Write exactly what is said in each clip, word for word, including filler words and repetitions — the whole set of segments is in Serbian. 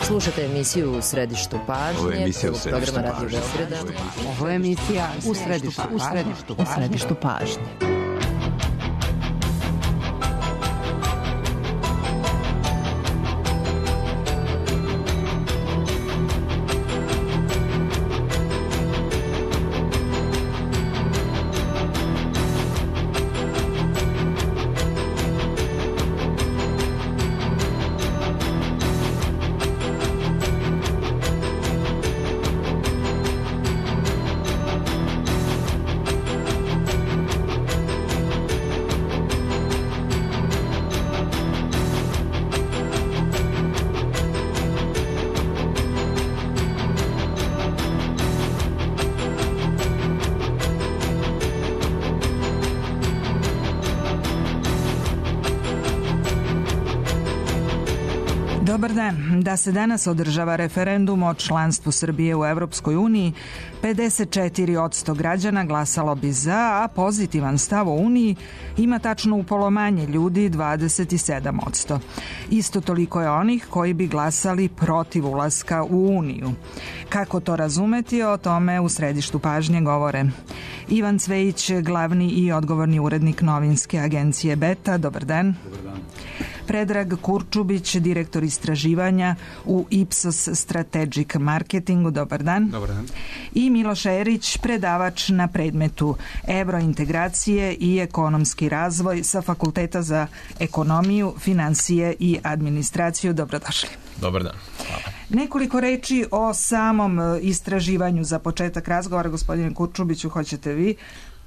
Slušate emisiju U središtu pažnje. Ovo je emisija U središtu programa Radio Beograda. Ovo je emisija U središtu pažnje. U središtu pažnje. Dobar dan. Da se danas održava referendum o članstvu Srbije u Evropskoj uniji, pedeset četiri posto građana glasalo bi za, a pozitivan stav o Uniji ima tačno upolo manje ljudi, dvadeset sedam posto. Isto toliko je onih koji bi glasali protiv ulaska u Uniju. Kako to razumeti, o tome u središtu pažnje govore Ivan Cvejić, glavni i odgovorni urednik novinske agencije Beta. Dobar dan. Dobar dan. Predrag Kurčubić, direktor istraživanja u Ipsos Strategic Marketingu. Dobar dan. Dobar dan. I Miloš Erić, predavač na predmetu Evrointegracije i ekonomski razvoj sa Fakulteta za ekonomiju, financije i administraciju. Dobrodošli. Dobar dan. Hvala. Nekoliko reči o samom istraživanju za početak razgovora. Gospodine Kurčubiću, hoćete vi?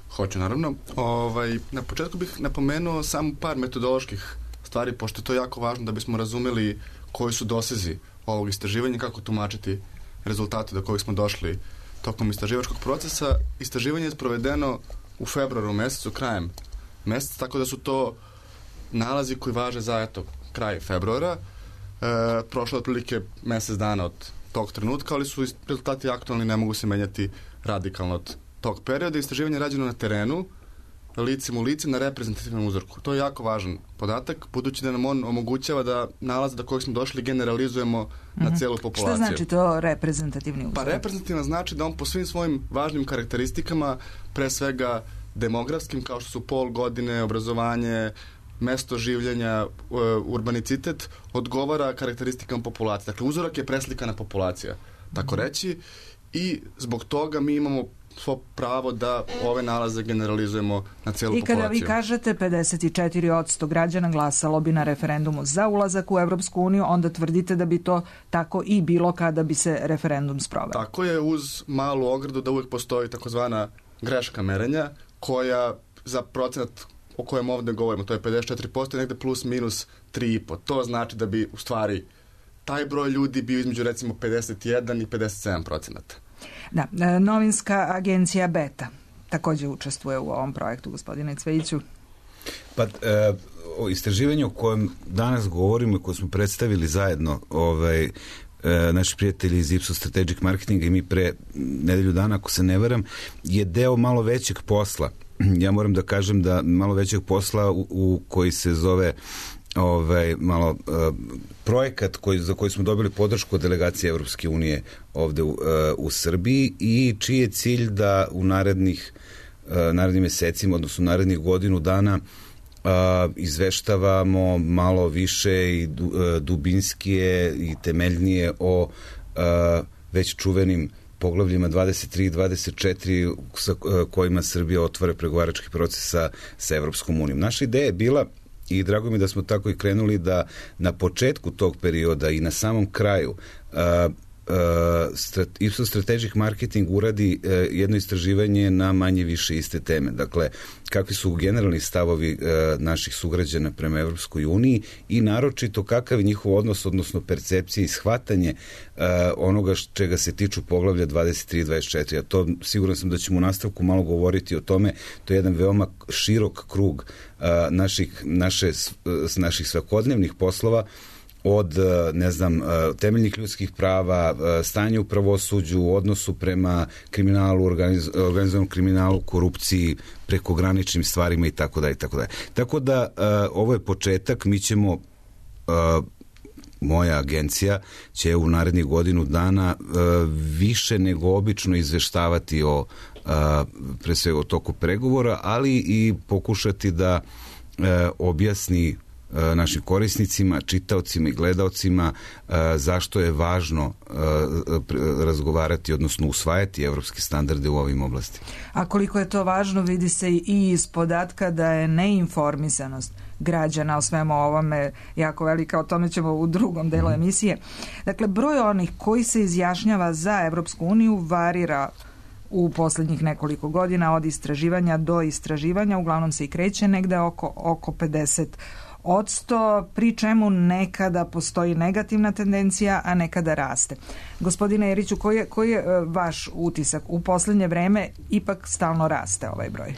Hoću, naravno. Ovaj, na početku bih napomenuo samo par metodoloških stvari, pošto je to jako važno da bismo razumeli koji su dosezi ovog istraživanja, kako tumačiti rezultate do kojih smo došli tokom istraživačkog procesa. Istraživanje je sprovedeno u februaru mesecu, krajem meseca, tako da su to nalazi koji važe za eto, kraj februara. E, prošlo je otprilike mesec dana od tog trenutka, ali su rezultati aktualni, ne mogu se menjati radikalno od tog perioda. Istraživanje je rađeno na terenu, licem u lice, na reprezentativnom uzorku. To je jako važan podatak, budući da nam on omogućava da nalaz do kojeg smo došli generalizujemo mm-hmm. na celu populaciju. Šta znači to reprezentativni uzork? Pa reprezentativno znači da on po svim svojim važnim karakteristikama, pre svega demografskim, kao što su pol, godine, obrazovanje, mesto življenja, urbanicitet, odgovara karakteristikama populacije. Dakle, uzorak je preslikana populacija, tako reći, i zbog toga mi imamo svo pravo da ove nalaze generalizujemo na cijelu populaciju. I kada vi kažete pedeset četiri posto građana glasalo bi na referendumu za ulazak u Evropsku uniju, onda tvrdite da bi to tako i bilo kada bi se referendum sproveo. Tako je, uz malu ogradu da uvijek postoji takozvana greška merenja, koja za procenat o kojem ovdje govorimo, to je pedeset četiri posto, negde plus minus tri i po. To znači da bi u stvari taj broj ljudi bio između recimo pedeset jedan i pedeset sedam procenata. Da, novinska agencija Beta također učestvuje u ovom projektu, gospodine Cvejiću. Pa, e, o istraživanju o kojem danas govorimo i koje smo predstavili zajedno, ovaj, e, naši prijatelji iz Ipsos Strategic Marketinga i mi pre nedelju dana, ako se ne varam, je deo malo većeg posla. Ja moram da kažem da malo većeg posla u, u koji se zove ovaj malo uh, projekat koji, za koji smo dobili podršku od delegacije Evropske unije ovde u, uh, u Srbiji i čiji je cilj da u narednih uh, narednim mesecima, odnosno narednih godinu dana uh, izveštavamo malo više i du, uh, dubinskije i temeljnije o uh, već čuvenim poglavljima dvadeset tri i dvadeset četiri sa uh, kojima Srbija otvara pregovarački proces sa, sa Evropskom unijom. Naša ideja je bila, i drago mi da smo tako i krenuli, da na početku tog perioda i na samom kraju uh, uh, strat, Ipsos Strategic Marketing uradi uh, jedno istraživanje na manje više iste teme. Dakle, kakvi su generalni stavovi uh, naših sugrađana prema Evropskoj uniji i naročito kakav je njihov odnos, odnosno percepcije i shvatanje uh, onoga čega se tiču poglavlja dvadeset tri i dvadeset četiri. A to siguran sam da ćemo u nastavku malo govoriti o tome. To je jedan veoma širok krug uh, naših, naše, naših svakodnevnih poslova, od, ne znam, temeljnih ljudskih prava, stanje u pravosuđu, odnosu prema kriminalu, organiz, organizovanom kriminalu, korupciji, prekograničnim stvarima i tako da i tako da. Tako da ovo je početak, mi ćemo moja agencija će u narednih godinu dana uh, više nego obično izveštavati o uh, pre svega o toku pregovora, ali i pokušati da uh, objasni uh, našim korisnicima, čitaocima i gledaocima uh, zašto je važno uh, razgovarati, odnosno usvajati evropske standarde u ovim oblastima. A koliko je to važno vidi se i iz podatka da je neinformisanost građana o svemu ovome jako velika, o tome ćemo u drugom delu emisije. Dakle, broj onih koji se izjašnjava za Evropsku uniju varira u posljednjih nekoliko godina od istraživanja do istraživanja, uglavnom se i kreće negde oko, oko pedeset odsto, pri čemu nekada postoji negativna tendencija, a nekada raste. Gospodine Eriću, koji je, koji je vaš utisak? U posljednje vreme ipak stalno raste ovaj broj.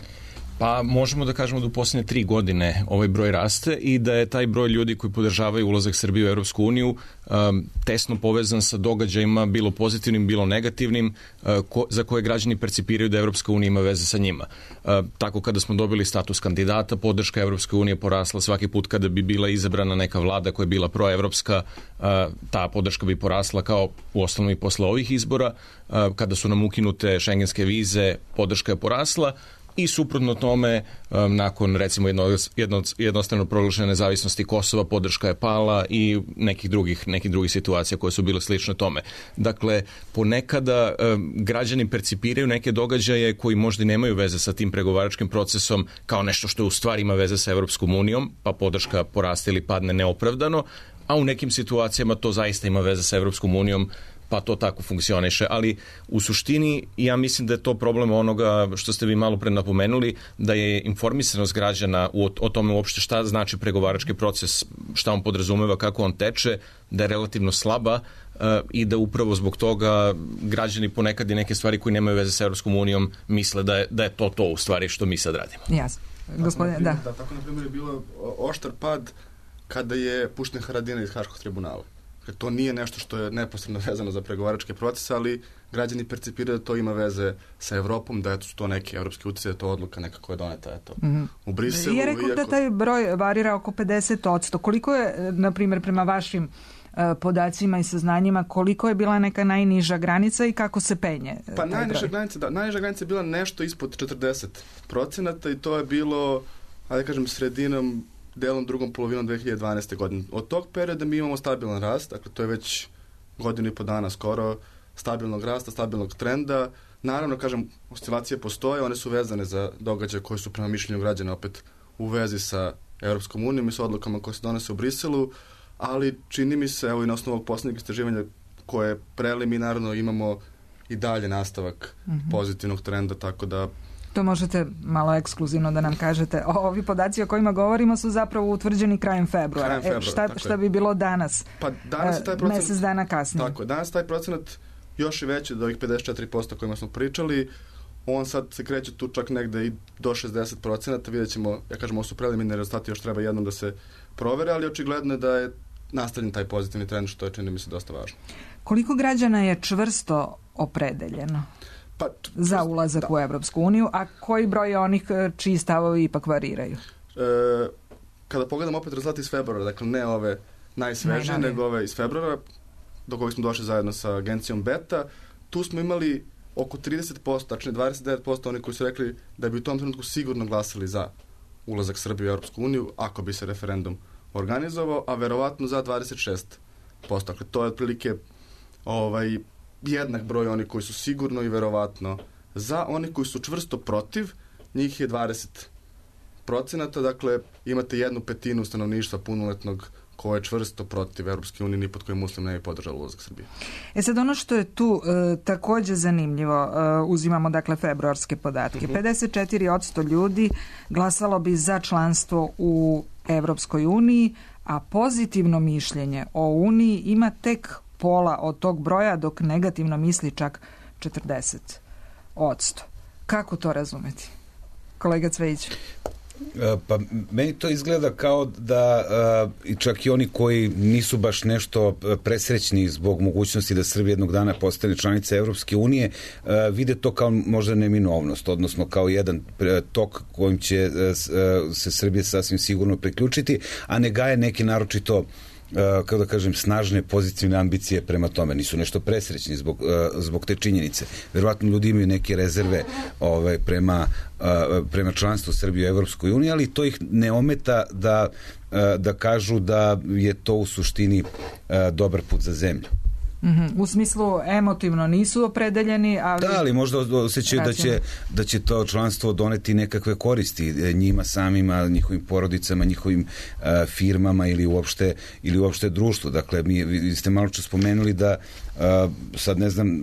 Pa možemo da kažemo da u posljednje tri godine ovaj broj raste i da je taj broj ljudi koji podržavaju ulazak Srbije u Europsku uniju um, tesno povezan sa događajima, bilo pozitivnim, bilo negativnim, uh, ko, za koje građani percipiraju da Europska unija ima veze sa njima. Uh, tako kada smo dobili status kandidata, podrška Europske unije porasla svaki put kada bi bila izabrana neka vlada koja je bila proevropska, uh, ta podrška bi porasla kao u ostalom i posle ovih izbora. Uh, kada su nam ukinute šengenske vize, podrška je porasla. I suprotno tome, um, nakon recimo jedno, jedno, jednostavno proglašene nezavisnosti Kosova, podrška je pala i nekih drugih, nekih drugih situacija koje su bile slične tome. Dakle, ponekada um, građani percipiraju neke događaje koji možda nemaju veze sa tim pregovaračkim procesom kao nešto što u stvari ima veze sa Evropskom unijom, pa podrška poraste ili padne neopravdano, a u nekim situacijama to zaista ima veze sa Evropskom unijom, pa to tako funkcioniše, ali u suštini ja mislim da je to problem onoga što ste vi malo pre napomenuli, da je informisanost građana o, o tome uopšte šta znači pregovarački proces, šta on podrazumeva, kako on teče, da je relativno slaba uh, i da upravo zbog toga građani ponekad i neke stvari koje nemaju veze sa Europskom unijom misle da je, da je to to u stvari što mi sad radimo. Jasno. Gospodine, da. da. Tako, na primjer, je bilo oštar pad kada je pušten Haradinaj iz Haškog tribunala. To nije nešto što je neposredno vezano za pregovaračke procese, ali građani percipiraju da to ima veze sa Evropom, da su to neke evropske utice, da je to odluka neka koja je doneta eto, mm-hmm. u Briselu. I rekao da taj broj varira oko pedeset odsto. Koliko je, na primjer, prema vašim uh, podacima i saznanjima, koliko je bila neka najniža granica i kako se penje? Pa najniža granica, da, najniža granica je bila nešto ispod četrdeset procenata i to je bilo, ajde kažem, sredinom delom drugom polovinom dve hiljade dvanaeste. godine. Od tog perioda mi imamo stabilan rast, dakle to je već godinu i po dana skoro stabilnog rasta, stabilnog trenda. Naravno, kažem, oscilacije postoje, one su vezane za događaje koji su prema mišljenju građana opet u vezi sa Europskom unijom i sa odlukama koje se donose u Briselu, ali čini mi se, evo i na osnovu ovog posljednjeg istraživanja koje preliminarno imamo i dalje nastavak mm-hmm. pozitivnog trenda, tako da to možete malo ekskluzivno da nam kažete. Ovi podaci o kojima govorimo su zapravo utvrđeni krajem februara. Krajem februara e, šta, šta bi bilo danas? Pa danas je taj procenat, mesec dana kasnije. Tako je, danas taj procenat još i veći od ovih pedeset četiri posto o kojima smo pričali. On sad se kreće tu čak negde i do šezdeset procenata. Vidjet ćemo, ja kažem, ovo su preliminarni rezultati, još treba jednom da se provere, ali očigledno je da je nastavljen taj pozitivni trend, što je, čini mi se, dosta važno. Koliko građana je čvrsto opredeljeno pa, za ulazak da. u Evropsku uniju, a koji broj je onih čiji stavovi ipak variraju? E, kada pogledam opet rezultati iz februara, dakle ne ove najsvežije, nego ove iz februara, do kojeg smo došli zajedno sa agencijom Beta, tu smo imali oko trideset posto, tačnije dvadeset devet posto oni koji su rekli da bi u tom trenutku sigurno glasali za ulazak Srbije u Europsku uniju, ako bi se referendum organizovao, a verovatno za dvadeset šest posto. Dakle, to je otprilike ovaj, jednak broj oni koji su sigurno i verovatno za. Oni koji su čvrsto protiv, njih je dvadeset procenata, dakle imate jednu petinu stanovništva punoletnog koje je čvrsto protiv Europske unije, ni pod kojim muslim ne bi podržalo ulazak Srbije. E sad, ono što je tu e, također zanimljivo, e, uzimamo dakle februarske podatke, uh-huh. pedeset četiri odsto ljudi glasalo bi za članstvo u Europskoj uniji, a pozitivno mišljenje o Uniji ima tek pola od tog broja, dok negativno misli čak četrdeset odsto. Kako to razumeti? Kolega Cvejić. Pa meni to izgleda kao da i čak i oni koji nisu baš nešto presrećni zbog mogućnosti da Srbija jednog dana postane članica Evropske unije, vide to kao možda neminovnost, odnosno kao jedan tok kojim će se Srbija sasvim sigurno priključiti, a ne gaje neki naročito kako da kažem, snažne pozitivne ambicije prema tome. Nisu nešto presrećni zbog, zbog te činjenice. Verovatno ljudi imaju neke rezerve ove, prema, prema članstvu Srbije u Evropskoj uniji, ali to ih ne ometa da, da kažu da je to u suštini dobar put za zemlju. Mm-hmm. U smislu emotivno nisu opredeljeni, ali... Da, ali možda osjećaju da će, da će to članstvo doneti nekakve koristi njima samima, njihovim porodicama, njihovim uh, firmama ili uopšte, ili uopšte društvu. Dakle, mi, vi ste malo čas spomenuli da uh, sad ne znam,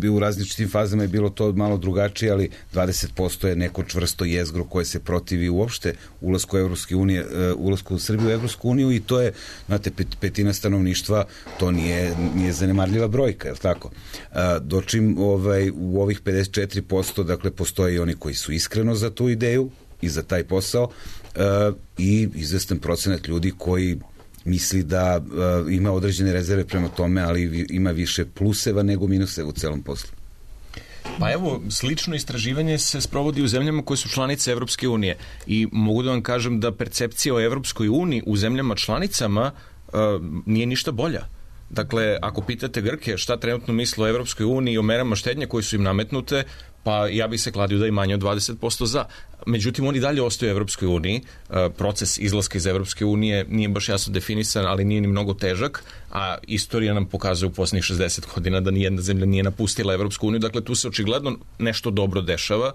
uh, u različitim fazama je bilo to malo drugačije, ali dvadeset posto je neko čvrsto jezgro koje se protivi uopšte ulasku Evropske unije, uh, ulasku Srbije u Evropsku uniju i to je, znate, pet, petina stanovništva, to nije, nije zanemarljiva brojka, je li tako? Dočim ovaj, u ovih pedeset četiri posto, dakle, postoje i oni koji su iskreno za tu ideju i za taj posao i izvestan procenat ljudi koji misli da ima određene rezerve prema tome, ali ima više pluseva nego minuseva u celom poslu. Pa evo, slično istraživanje se sprovodi u zemljama koje su članice Evropske unije i mogu da vam kažem da percepcija o Evropskoj uniji u zemljama članicama uh, nije ništa bolja. Dakle, ako pitate Grke šta trenutno misle o Evropskoj uniji i o merama štednje koje su im nametnute, pa ja bih se kladio da i manje od dvadeset posto za. Međutim, oni dalje ostaju u Evropskoj uniji. Proces izlaska iz Evropske unije nije baš jasno definisan, ali nije ni mnogo težak, a istorija nam pokazuje u posljednjih šezdeset godina da nijedna zemlja nije napustila Evropsku uniju. Dakle, tu se očigledno nešto dobro dešava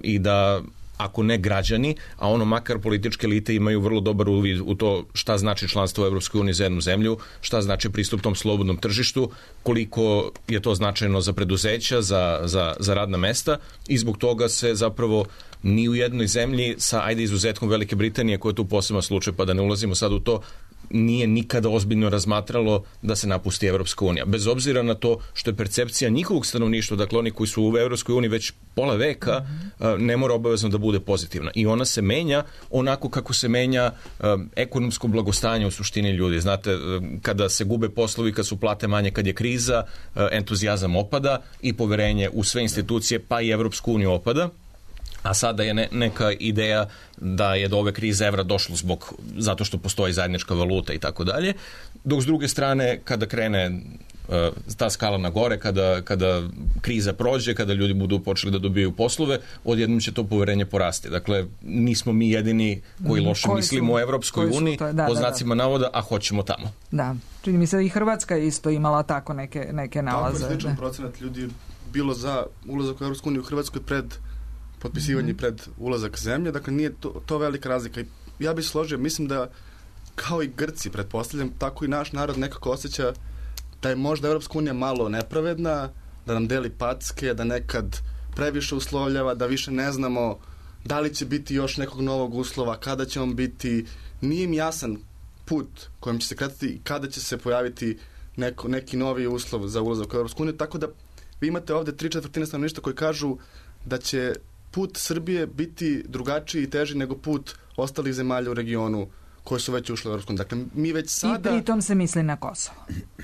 i da ako ne građani, a ono makar političke elite imaju vrlo dobar uvid u to šta znači članstvo u Evropskoj uniji za jednu zemlju, šta znači pristup tom slobodnom tržištu, koliko je to značajno za preduzeća, za, za, za radna mesta i zbog toga se zapravo ni u jednoj zemlji sa, ajde, izuzetkom Velike Britanije, koja je tu poseban slučaj, pa da ne ulazimo sad u to, nije nikada ozbiljno razmatralo da se napusti Evropska unija. Bez obzira na to što je percepcija njihovog stanovništva, dakle oni koji su u Evropskoj uniji već pola veka, mm-hmm. ne mora obavezno da bude pozitivna. I ona se menja onako kako se menja um, ekonomsko blagostanje u suštini ljudi. Znate, kada se gube poslovi, kad su plate manje, kad je kriza, uh, entuzijazam opada i poverenje u sve institucije, pa i Evropsku uniju opada. A sada je ne, neka ideja da je do ove krize evra došlo zbog, zato što postoji zajednička valuta i tako dalje. Dok s druge strane, kada krene uh, ta skala na gore, kada, kada kriza prođe, kada ljudi budu počeli da dobijaju poslove, odjednom će to poverenje porasti. Dakle, nismo mi jedini koji loše koji mislimo o Evropskoj uniji, po znacima navoda, a hoćemo tamo. Da, čini mi se i Hrvatska je isto imala tako neke, neke nalaze. Tako je sličan procenat ljudi bilo za ulazak u Evropsku uniju u Hrvatskoj pred potpisivanje mm-hmm. pred ulazak zemlje, dakle nije to, to velika razlika. Ja bih složio, mislim da kao i Grci, pretpostavljam, tako i naš narod nekako osjeća da je možda Evropska unija malo nepravedna, da nam deli packe, da nekad previše uslovljava, da više ne znamo da li će biti još nekog novog uslova, kada će on biti, nije im jasan put kojim će se kretati i kada će se pojaviti neko, neki novi uslov za ulazak u Evropsku uniju, tako da vi imate ovde tri četvrtine stanovništva koji kažu da će put Srbije biti drugačiji i teži nego put ostalih zemalja u regionu koje su već ušle u Evropsku uniju. Dakle, mi već sada... I pritom se misli na Kosovo.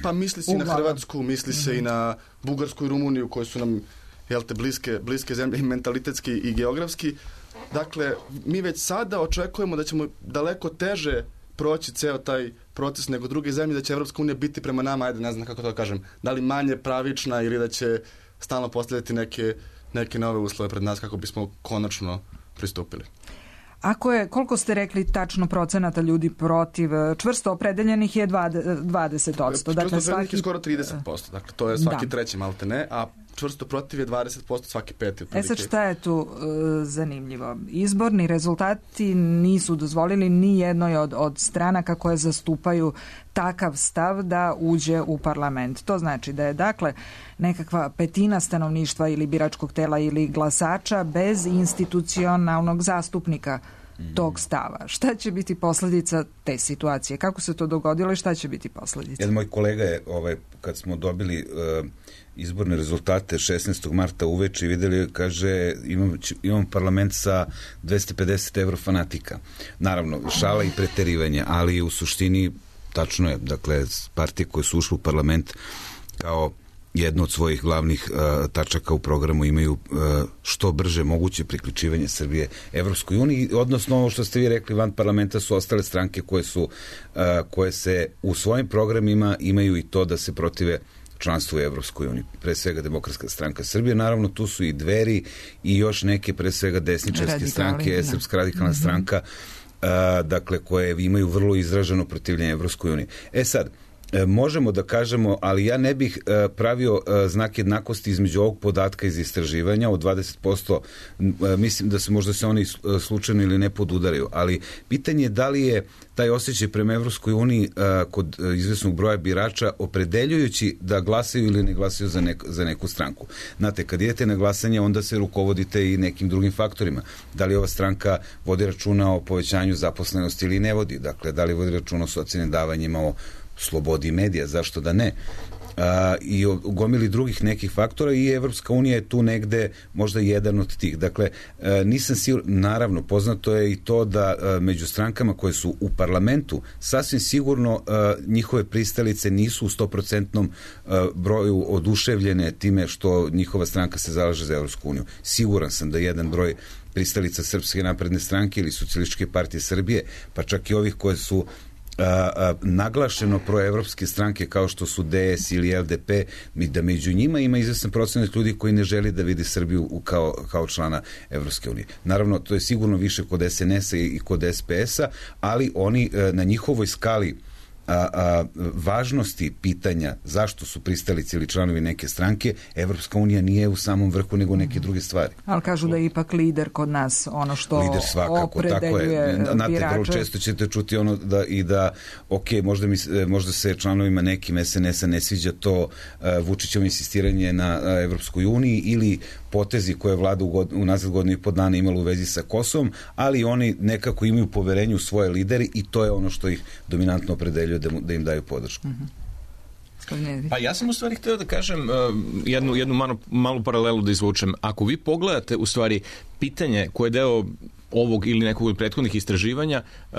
Pa misli se i na Hrvatsku, misli se mm-hmm. i na Bugarsku i Rumuniju, koje su nam, jel te, bliske, bliske zemlje i mentalitetski i geografski. Dakle, mi već sada očekujemo da ćemo daleko teže proći ceo taj proces nego druge zemlje, da će Evropska unija biti prema nama, ajde, ne znam kako to kažem, da li manje pravična ili da će stalno postavljati neke neke nove uslove pred nas kako bismo konačno pristupili. Ako je, koliko ste rekli tačno procenata ljudi protiv, čvrsto opredeljenih je dvadeset posto. Dakle, čvrsto opredeljenih je skoro trideset posto. Dakle, to je svaki da. treći malte ne, a čvrsto protiv je dvadeset posto, svaki peti. E sad šta je tu uh, zanimljivo? Izborni rezultati nisu dozvolili ni jednoj od, od stranaka koje zastupaju takav stav da uđe u parlament. To znači da je, dakle, nekakva petina stanovništva ili biračkog tela ili glasača bez institucionalnog zastupnika tog stava. Šta će biti posljedica te situacije? Kako se to dogodilo i šta će biti posljedica? Jedan moj kolega je, ovaj, kad smo dobili uh, izborne rezultate šesnaestog marta uveče i videli, kaže, imam, imam parlament sa dvesta pedeset evro fanatika. Naravno, šala i preterivanje, ali u suštini tačno je, dakle, partije koje su ušle u parlament kao jedno od svojih glavnih uh, tačaka u programu imaju uh, što brže moguće priključivanje Srbije Evropskoj uniji, odnosno ovo što ste vi rekli, van parlamenta su ostale stranke koje su uh, koje se u svojim programima imaju i to da se protive članstvu u Evropskoj uniji. Pre svega Demokratska stranka Srbije, naravno tu su i Dveri i još neke pre svega desničarske Radikali, stranke, da. Srpska radikalna mm-hmm. stranka, uh, dakle koje imaju vrlo izraženo protivljenje Evropskoj uniji. E sad, možemo da kažemo, ali ja ne bih pravio znak jednakosti između ovog podatka iz istraživanja od dvadeset posto, mislim da se možda se oni slučajno ili ne podudaraju, ali pitanje je da li je taj osjećaj prema Evropskoj uniji kod izvesnog broja birača opredeljujući da glasaju ili ne glasaju za, nek, za neku stranku. Znate, kad idete na glasanje, onda se rukovodite i nekim drugim faktorima. Da li ova stranka vodi računa o povećanju zaposlenosti ili ne vodi? Dakle, da li vodi računa o socijalnim davanjima, o slobodi medija, zašto da ne? A, i o gomili drugih nekih faktora i Evropska unija je tu negde možda jedan od tih. Dakle, a, nisam siguran, naravno, poznato je i to da a, među strankama koje su u parlamentu, sasvim sigurno a, njihove pristalice nisu u sto procentnom broju oduševljene time što njihova stranka se zalaže za Evropsku uniju. Siguran sam da jedan broj pristalica Srpske napredne stranke ili Socijalističke partije Srbije, pa čak i ovih koje su A, a, naglašeno proevropske stranke kao što su D S ili L D P, da među njima ima izvestan procenat ljudi koji ne želi da vidi Srbiju u, kao, kao člana Evropske unije. Naravno, to je sigurno više kod S N S-a i kod S P S-a, ali oni a, na njihovoj skali A, a, važnosti pitanja zašto su pristalice ili članovi neke stranke, Evropska unija nije u samom vrhu nego neke druge stvari. Ali kažu da je ipak lider kod nas ono što lider svakako, opredeljuje tako je. Znate, birače. vrlo često ćete čuti ono da i da, ok, možda, mi, možda se članovima nekim S N S-a ne sviđa to uh, Vučićevo insistiranje na uh, Evropskoj uniji ili potezi koje je vlada u, god, u nazad godinu i po dana imala u vezi sa Kosovom, ali oni nekako imaju poverenje u svoje lideri i to je ono što ih dominantno opredeljuje da, da im daju podršku. Mm-hmm. Pa ja sam u stvari htio da kažem uh, jednu, jednu malu, malu paralelu da izvučem. Ako vi pogledate u stvari pitanje koje je deo ovog ili nekog od prethodnih istraživanja, uh,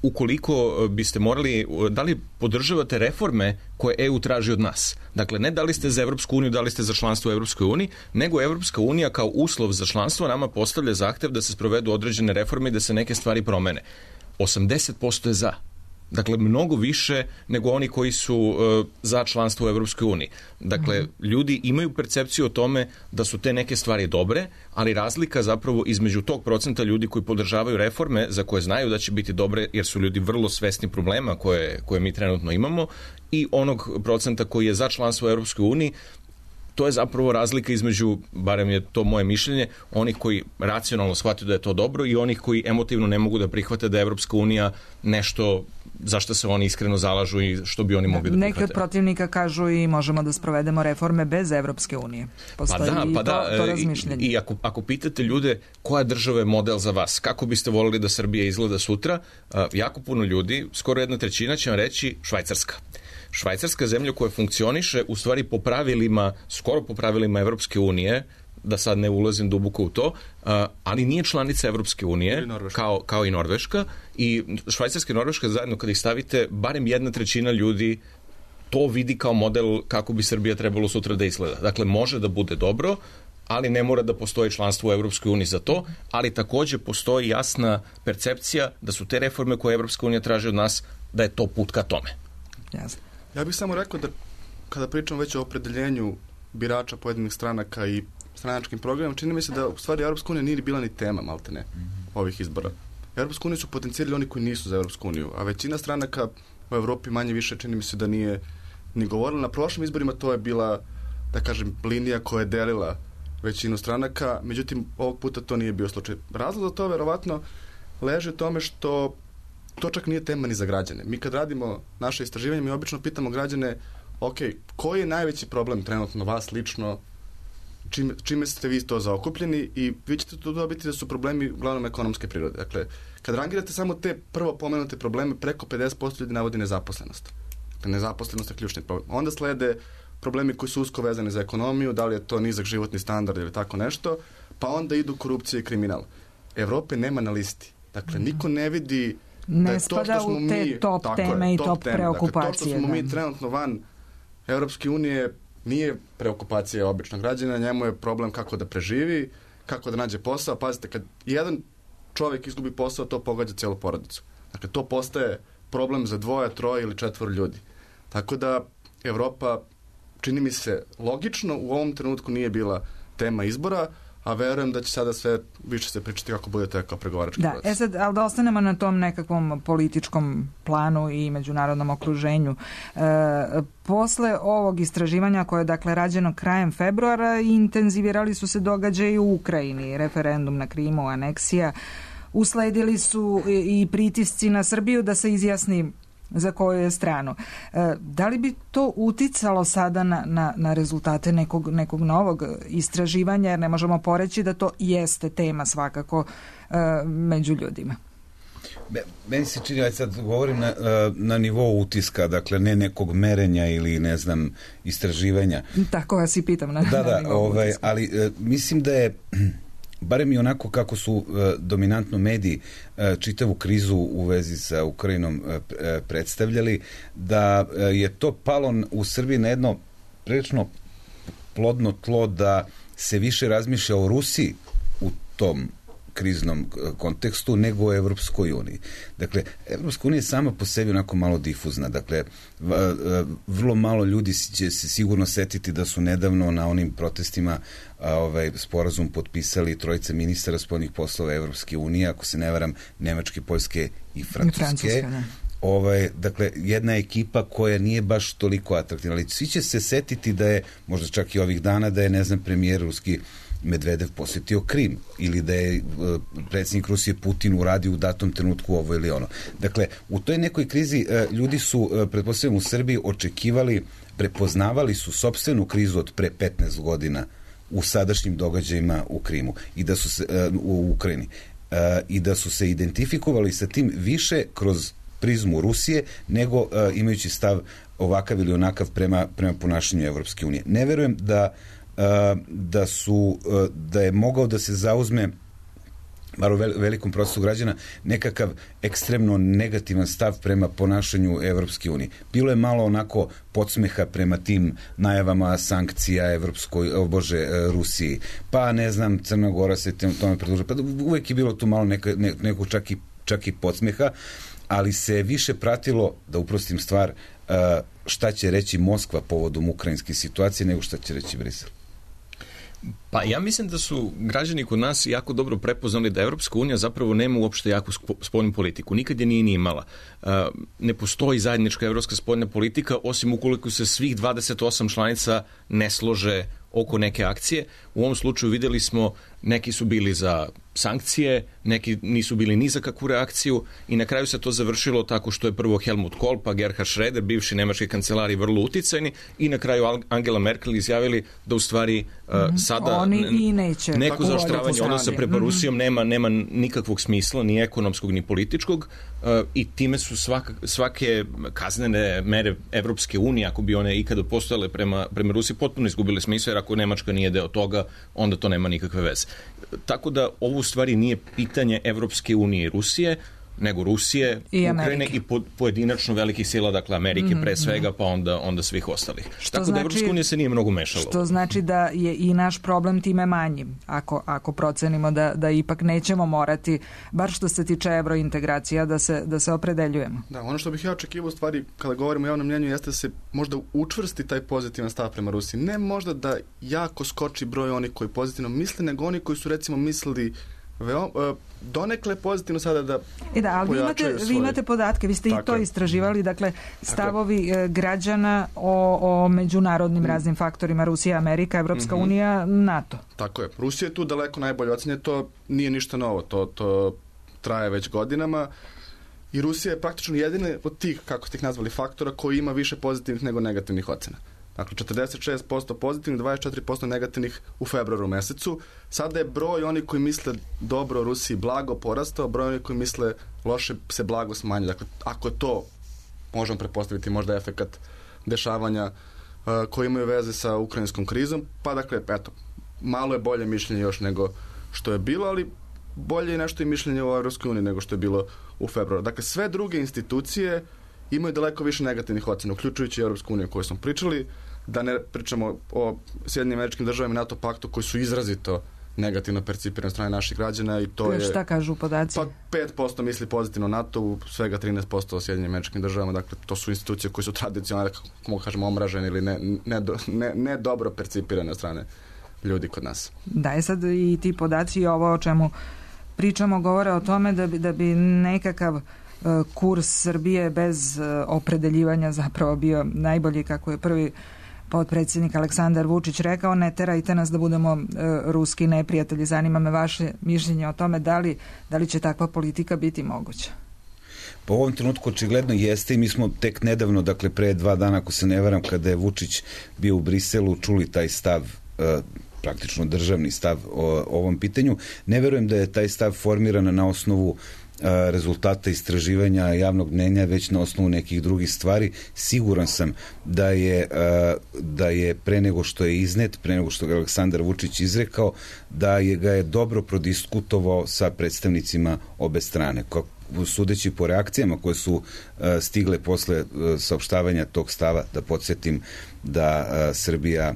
ukoliko biste morali, da li podržavate reforme koje E U traži od nas? Dakle, ne da li ste za Evropsku uniju, da li ste za članstvo u Evropskoj uniji, nego Evropska unija kao uslov za članstvo nama postavlja zahtev da se sprovedu određene reforme i da se neke stvari promene. osamdeset posto je za. Dakle, mnogo više nego oni koji su uh, za članstvo u Evropskoj uniji. Dakle, mm. ljudi imaju percepciju o tome da su te neke stvari dobre, ali razlika zapravo između tog procenta ljudi koji podržavaju reforme za koje znaju da će biti dobre, jer su ljudi vrlo svesni problema koje, koje mi trenutno imamo, i onog procenta koji je za članstvo u Evropskoj uniji. To je zapravo razlika između, barem je to moje mišljenje, onih koji racionalno shvataju da je to dobro i onih koji emotivno ne mogu da prihvate da je Evropska unija nešto za što se oni iskreno zalažu i što bi oni mogli da prihvate. Neki od protivnika kažu i možemo da sprovedemo reforme bez Evropske unije. Postoji pa da, pa da, to, to razmišljanje. I, i ako, ako pitate ljude koja država je model za vas, kako biste voljeli da Srbija izgleda sutra, jako puno ljudi, skoro jedna trećina će vam reći Švajcarska. Švajcarska zemlja koja funkcioniše u stvari po pravilima, skoro po pravilima Evropske unije, da sad ne ulazim duboko u to, ali nije članica Evropske unije, kao, kao i Norveška, i Švajcarska i Norveška zajedno kad ih stavite, barem jedna trećina ljudi to vidi kao model kako bi Srbija trebalo sutra da izgleda. Dakle, može da bude dobro, ali ne mora da postoji članstvo u Evropskoj uniji za to, ali takođe postoji jasna percepcija da su te reforme koje Evropska unija traži od nas, da je to put ka tome. Jasno. Ja bih samo rekao da kada pričamo već o opredeljenju birača pojedinih stranaka i stranačkim programom, čini mi se da u stvari Evropska unija nije bila ni tema, malte ne, ovih izbora. Evropsku uniju su potencijali oni koji nisu za Evropsku uniju, a većina stranaka u Evropi manje više čini mi se da nije ni govorila. Na prošlim izborima to je bila, da kažem, linija koja je delila većinu stranaka, međutim ovog puta to nije bio slučaj. Razlog za to verovatno leži u tome što to čak nije tema ni za građane. Mi kad radimo naše istraživanje, mi obično pitamo građane, ok, koji je najveći problem trenutno vas lično, čime, čime ste vi to zaokupljeni, i vi ćete to dobiti da su problemi uglavnom ekonomske prirode. Dakle, kad rangirate samo te prvo pomenute probleme, preko pedeset posto ljudi navodi nezaposlenost. Dakle, nezaposlenost je ključni problem. Onda slede problemi koji su usko vezani za ekonomiju, da li je to nizak životni standard ili tako nešto, pa onda idu korupcija i kriminal. Evrope nema na listi. Dakle, niko ne vidi ne da spada u te mi, top teme je, i top, top preokupacije. Dakle, to što smo da. mi trenutno van Evropske unije nije preokupacija običnog građana, njemu je problem kako da preživi, kako da nađe posao. Pazite, kad jedan čovjek izgubi posao, to pogađa cijelu porodicu. Dakle, to postaje problem za dvoje, troje ili četvoro ljudi. Tako da Evropa, čini mi se logično, u ovom trenutku nije bila tema izbora, a verujem da će sada sve više se pričati kako budete kao pregovarački da, proces. E sad, ali da ostanemo na tom nekakvom političkom planu i međunarodnom okruženju. E, posle ovog istraživanja koje je dakle rađeno krajem februara, intenzivirali su se događaji u Ukrajini, referendum na Krimu, aneksija, usledili su i pritisci na Srbiju da se izjasni za koju je stranu. E, da li bi to uticalo sada na, na, na rezultate nekog, nekog novog istraživanja, jer ne možemo poreći da to jeste tema svakako e, među ljudima? Meni se čini, ja sad govorim na, na nivou utiska, dakle ne nekog merenja ili ne znam istraživanja. Tako vas i pitam na, da, na da, nivou ovaj, utiska. ali e, mislim da je barem i onako kako su e, dominantno mediji e, čitavu krizu u vezi sa Ukrajinom e, predstavljali, da e, je to palo u Srbiji na jedno prilično plodno tlo da se više razmišlja o Rusiji u tom kriznom kontekstu nego o Evropskoj uniji. Dakle, Evropska unija je sama po sebi onako malo difuzna. Dakle, vrlo malo ljudi će se sigurno setiti da su nedavno na onim protestima a, ovaj, sporazum potpisali trojica ministara spoljnih poslova Evropske unije, ako se ne varam, Nemačke, Poljske i Francuske. I Francuska, da. Ovaj, dakle, jedna ekipa koja nije baš toliko atraktivna, ali svi će se setiti da je, možda čak i ovih dana, da je, ne znam, premijer ruski Medvedev posjetio Krim ili da je uh, predsjednik Rusije Putin uradio u datom trenutku ovo ili ono. Dakle, u toj nekoj krizi uh, ljudi su, uh, pretpostavljam u Srbiji, očekivali, prepoznavali su sopstvenu krizu od pre petnaest godina u sadašnjim događajima u Krimu i da su se, uh, u Ukrajini uh, i da su se identifikovali sa tim više kroz prizmu Rusije nego uh, imajući stav ovakav ili onakav prema, prema ponašanju Evropske unije. Ne verujem da da su, da je mogao da se zauzme bar u velikom procesu građana nekakav ekstremno negativan stav prema ponašanju Evropske unije. Bilo je malo onako podsmeha prema tim najavama sankcija Evropskoj, o Bože, Rusiji. Pa ne znam, Crna Gora se tome pridružila. Pa uvek je bilo tu malo neka, ne, neko čak i, čak i podsmeha, ali se više pratilo, da uprostim stvar, šta će reći Moskva povodom ukrajinske situacije nego šta će reći Brisel. Pa ja mislim da su građani kod nas jako dobro prepoznali da Evropska unija zapravo nema uopšte jaku spoljnu politiku. Nikad je nije ni imala. Ne postoji zajednička evropska spoljna politika, osim ukoliko se svih dvadeset osam članica ne slože oko neke akcije. U ovom slučaju videli smo, neki su bili za sankcije, neki nisu bili ni za kakvu reakciju i na kraju se to završilo tako što je prvo Helmut Kohl, pa Gerhard Schröder, bivši nemački kancelar i vrlo uticajni, i na kraju Angela Merkel izjavili da u stvari mm-hmm. uh, sada Oni i neće. neko zaoštravanje odnosa prema mm-hmm. Rusijom nema, nema nikakvog smisla, ni ekonomskog, ni političkog, uh, i time su svaka, svake kaznene mere Evropske unije, ako bi one ikada postojale prema, prema Rusiji, potpuno izgubile smisla, jer ako Nemačka nije deo toga, onda to nema nikakve veze. Tako da ovo u stvari nije pitanje Evropske unije i Rusije, nego Rusije, I Ukrajine i po, pojedinačno velikih sila, dakle Amerike mm, pre svega, pa onda, onda svih ostalih. Što Tako znači, da Evropska unija se nije mnogo mešala. Što znači da je i naš problem time manji, ako, ako procenimo da, da ipak nećemo morati, bar što se tiče evrointegracija, da se, da se opredeljujemo. Da, ono što bih ja očekivao u stvari, kada govorimo o javnom mnjenju, jeste da se možda učvrsti taj pozitivan stav prema Rusiji. Ne možda da jako skoči broj onih koji pozitivno misle, nego oni koji su recimo mislili Veo, donekle pozitivno sada da I da, ali vi imate, vi imate podatke, vi ste Tako i to je. istraživali, dakle stavovi Tako građana o, o međunarodnim mm. raznim faktorima, Rusija, Amerika, Evropska mm-hmm. unija, NATO. Tako je. Rusija je tu daleko najbolje ocenje, to nije ništa novo, to, to traje već godinama i Rusija je praktično jedina od tih, kako ste ih nazvali, faktora koji ima više pozitivnih nego negativnih ocena. Dakle, četrdeset šest posto pozitivnih, dvadeset četiri posto negativnih u februaru mesecu. Sada je broj oni koji misle dobro o Rusiji blago porastao, broj oni koji misle loše se blago smanjio. Dakle, ako je to, možemo pretpostaviti možda efekat dešavanja uh, koji imaju veze sa ukrajinskom krizom, pa dakle, eto, malo je bolje mišljenje još nego što je bilo, ali bolje je nešto i mišljenje o Evropskoj uniji nego što je bilo u februaru. Dakle, sve druge institucije imaju daleko više negativnih ocena, uključujući Evropsku uniju o kojoj smo pričali. da ne pričamo o Sjedinjenim Američkim Državama i NATO paktu koji su izrazito negativno percipirane strane naših građana i to je... Šta kažu podaci? Pa pet posto misli pozitivno NATO, u svega trinaest posto o Sjedinjenim Američkim Državama, dakle to su institucije koje su tradicionalno, kako mogu kažemo, omražene ili ne, ne, ne, ne dobro percipirane strane ljudi kod nas. Da, je sad i ti podaci i ovo o čemu pričamo govore o tome da bi, da bi nekakav uh, kurs Srbije bez uh, opredeljivanja zapravo bio najbolji, kako je prvi potpredsjednik Aleksandar Vučić rekao, ne terajte nas da budemo uh, ruski neprijatelji. Zanima me vaše mišljenje o tome da li, da li će takva politika biti moguća. Po ovom trenutku očigledno jeste i mi smo tek nedavno, dakle pre dva dana, ako se ne varam, kada je Vučić bio u Briselu, čuli taj stav, uh, praktično državni stav o ovom pitanju. Ne verujem da je taj stav formiran na osnovu a, rezultata istraživanja javnog mnenja, već na osnovu nekih drugih stvari. Siguran sam da je, a, da je pre nego što je iznet, pre nego što je Aleksandar Vučić izrekao, da je ga je dobro prodiskutovao sa predstavnicima obe strane. Kako sudeći po reakcijama koje su uh, stigle posle uh, saopštavanja tog stava, da podsjetim da uh, Srbija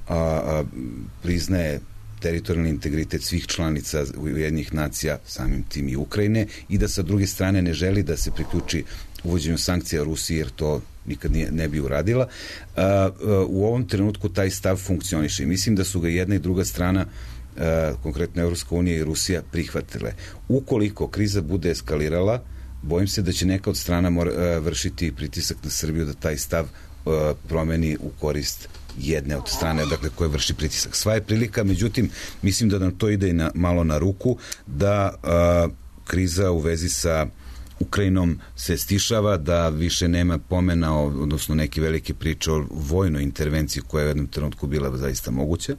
A, a, priznaje teritorijalni integritet svih članica Ujedinjenih nacija, samim tim i Ukrajine, i da sa druge strane ne želi da se priključi uvođenju sankcija Rusiji, jer to nikad nije, ne bi uradila. A, a, u ovom trenutku taj stav funkcioniše i mislim da su ga jedna i druga strana, a, konkretno Evropska unija i Rusija, prihvatile. Ukoliko kriza bude eskalirala, bojim se da će neka od strana mora, a, vršiti pritisak na Srbiju da taj stav a, promeni u korist jedne od strane, dakle, koje vrši pritisak. Sva je prilika, međutim, mislim da nam to ide i na, malo na ruku, da a, kriza u vezi sa Ukrajinom se stišava, da više nema pomena, odnosno neke velike priče o vojnoj intervenciji koja je u jednom trenutku bila zaista moguća,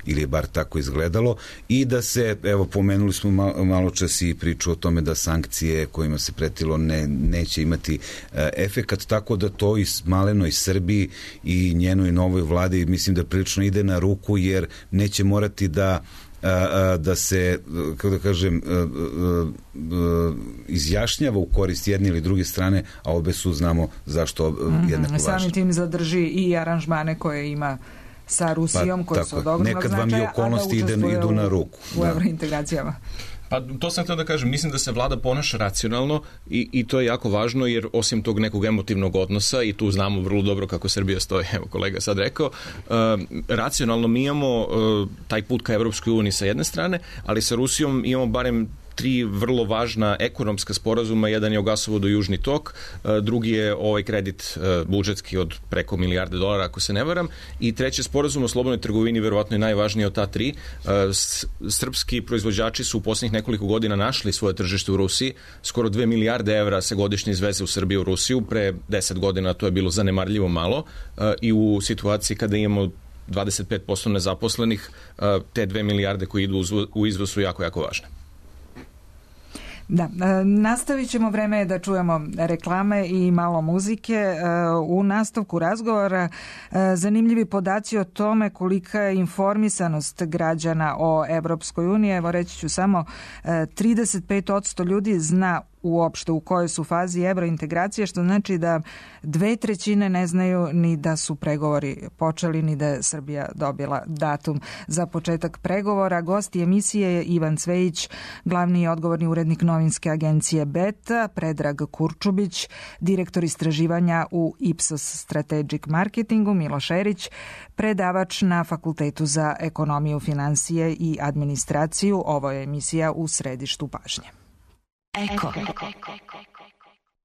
ili je bar tako izgledalo, i da se, evo, pomenuli smo malo, malo čas i priču o tome da sankcije kojima se pretilo ne, neće imati e, efekat, tako da to i malenoj Srbiji i njenoj novoj vladi mislim da prilično ide na ruku, jer neće morati da da se, kako da kažem, izjašnjava u korist jedne ili druge strane, a obe su, znamo zašto jednako važne. Samim tim zadrži i aranžmane koje ima sa Rusijom, pa, koje tako, su od ogromnog značaja, nekad vam i okolnosti ide, idu na ruku. U, u eurointegracijama. Pa to sam htio da kažem, mislim da se vlada ponaša racionalno i, i to je jako važno, jer osim tog nekog emotivnog odnosa, i tu znamo vrlo dobro kako Srbija stoji, evo kolega sad rekao, uh, racionalno mi imamo uh, taj put ka Evropskoj uniji sa jedne strane, ali sa Rusijom imamo barem tri vrlo važna ekonomska sporazuma. Jedan je o gasovodu Južni tok, drugi je ovaj kredit budžetski od preko milijarde dolara, ako se ne varam, i treći sporazum o slobodnoj trgovini, verovatno je najvažniji od ta tri. Srpski proizvođači su u posljednjih nekoliko godina našli svoje tržište u Rusiji. Skoro dve milijarde evra se godišnje izveze u Srbiju u Rusiju. Pre deset godina to je bilo zanemarljivo malo i u situaciji kada imamo dvadeset pet posto nezaposlenih, te dve milijarde koje idu u izvoz su jako, jako važne. Da, nastavit ćemo, vreme je da čujemo reklame i malo muzike. U nastavku razgovora zanimljivi podaci o tome kolika je informisanost građana o Evropskoj uniji. Evo, reći ću samo, trideset pet posto ljudi zna uopšte u kojoj su fazi evrointegracije, što znači da dve trećine ne znaju ni da su pregovori počeli, ni da je Srbija dobila datum za početak pregovora. Gost emisije je Ivan Cvejić, glavni i odgovorni urednik novinske agencije Beta, Predrag Kurčubić, direktor istraživanja u Ipsos Strategic Marketingu, Miloš Erić, predavač na Fakultetu za ekonomiju, finansije i administraciju. Ovo je emisija U središtu pažnje. Eko.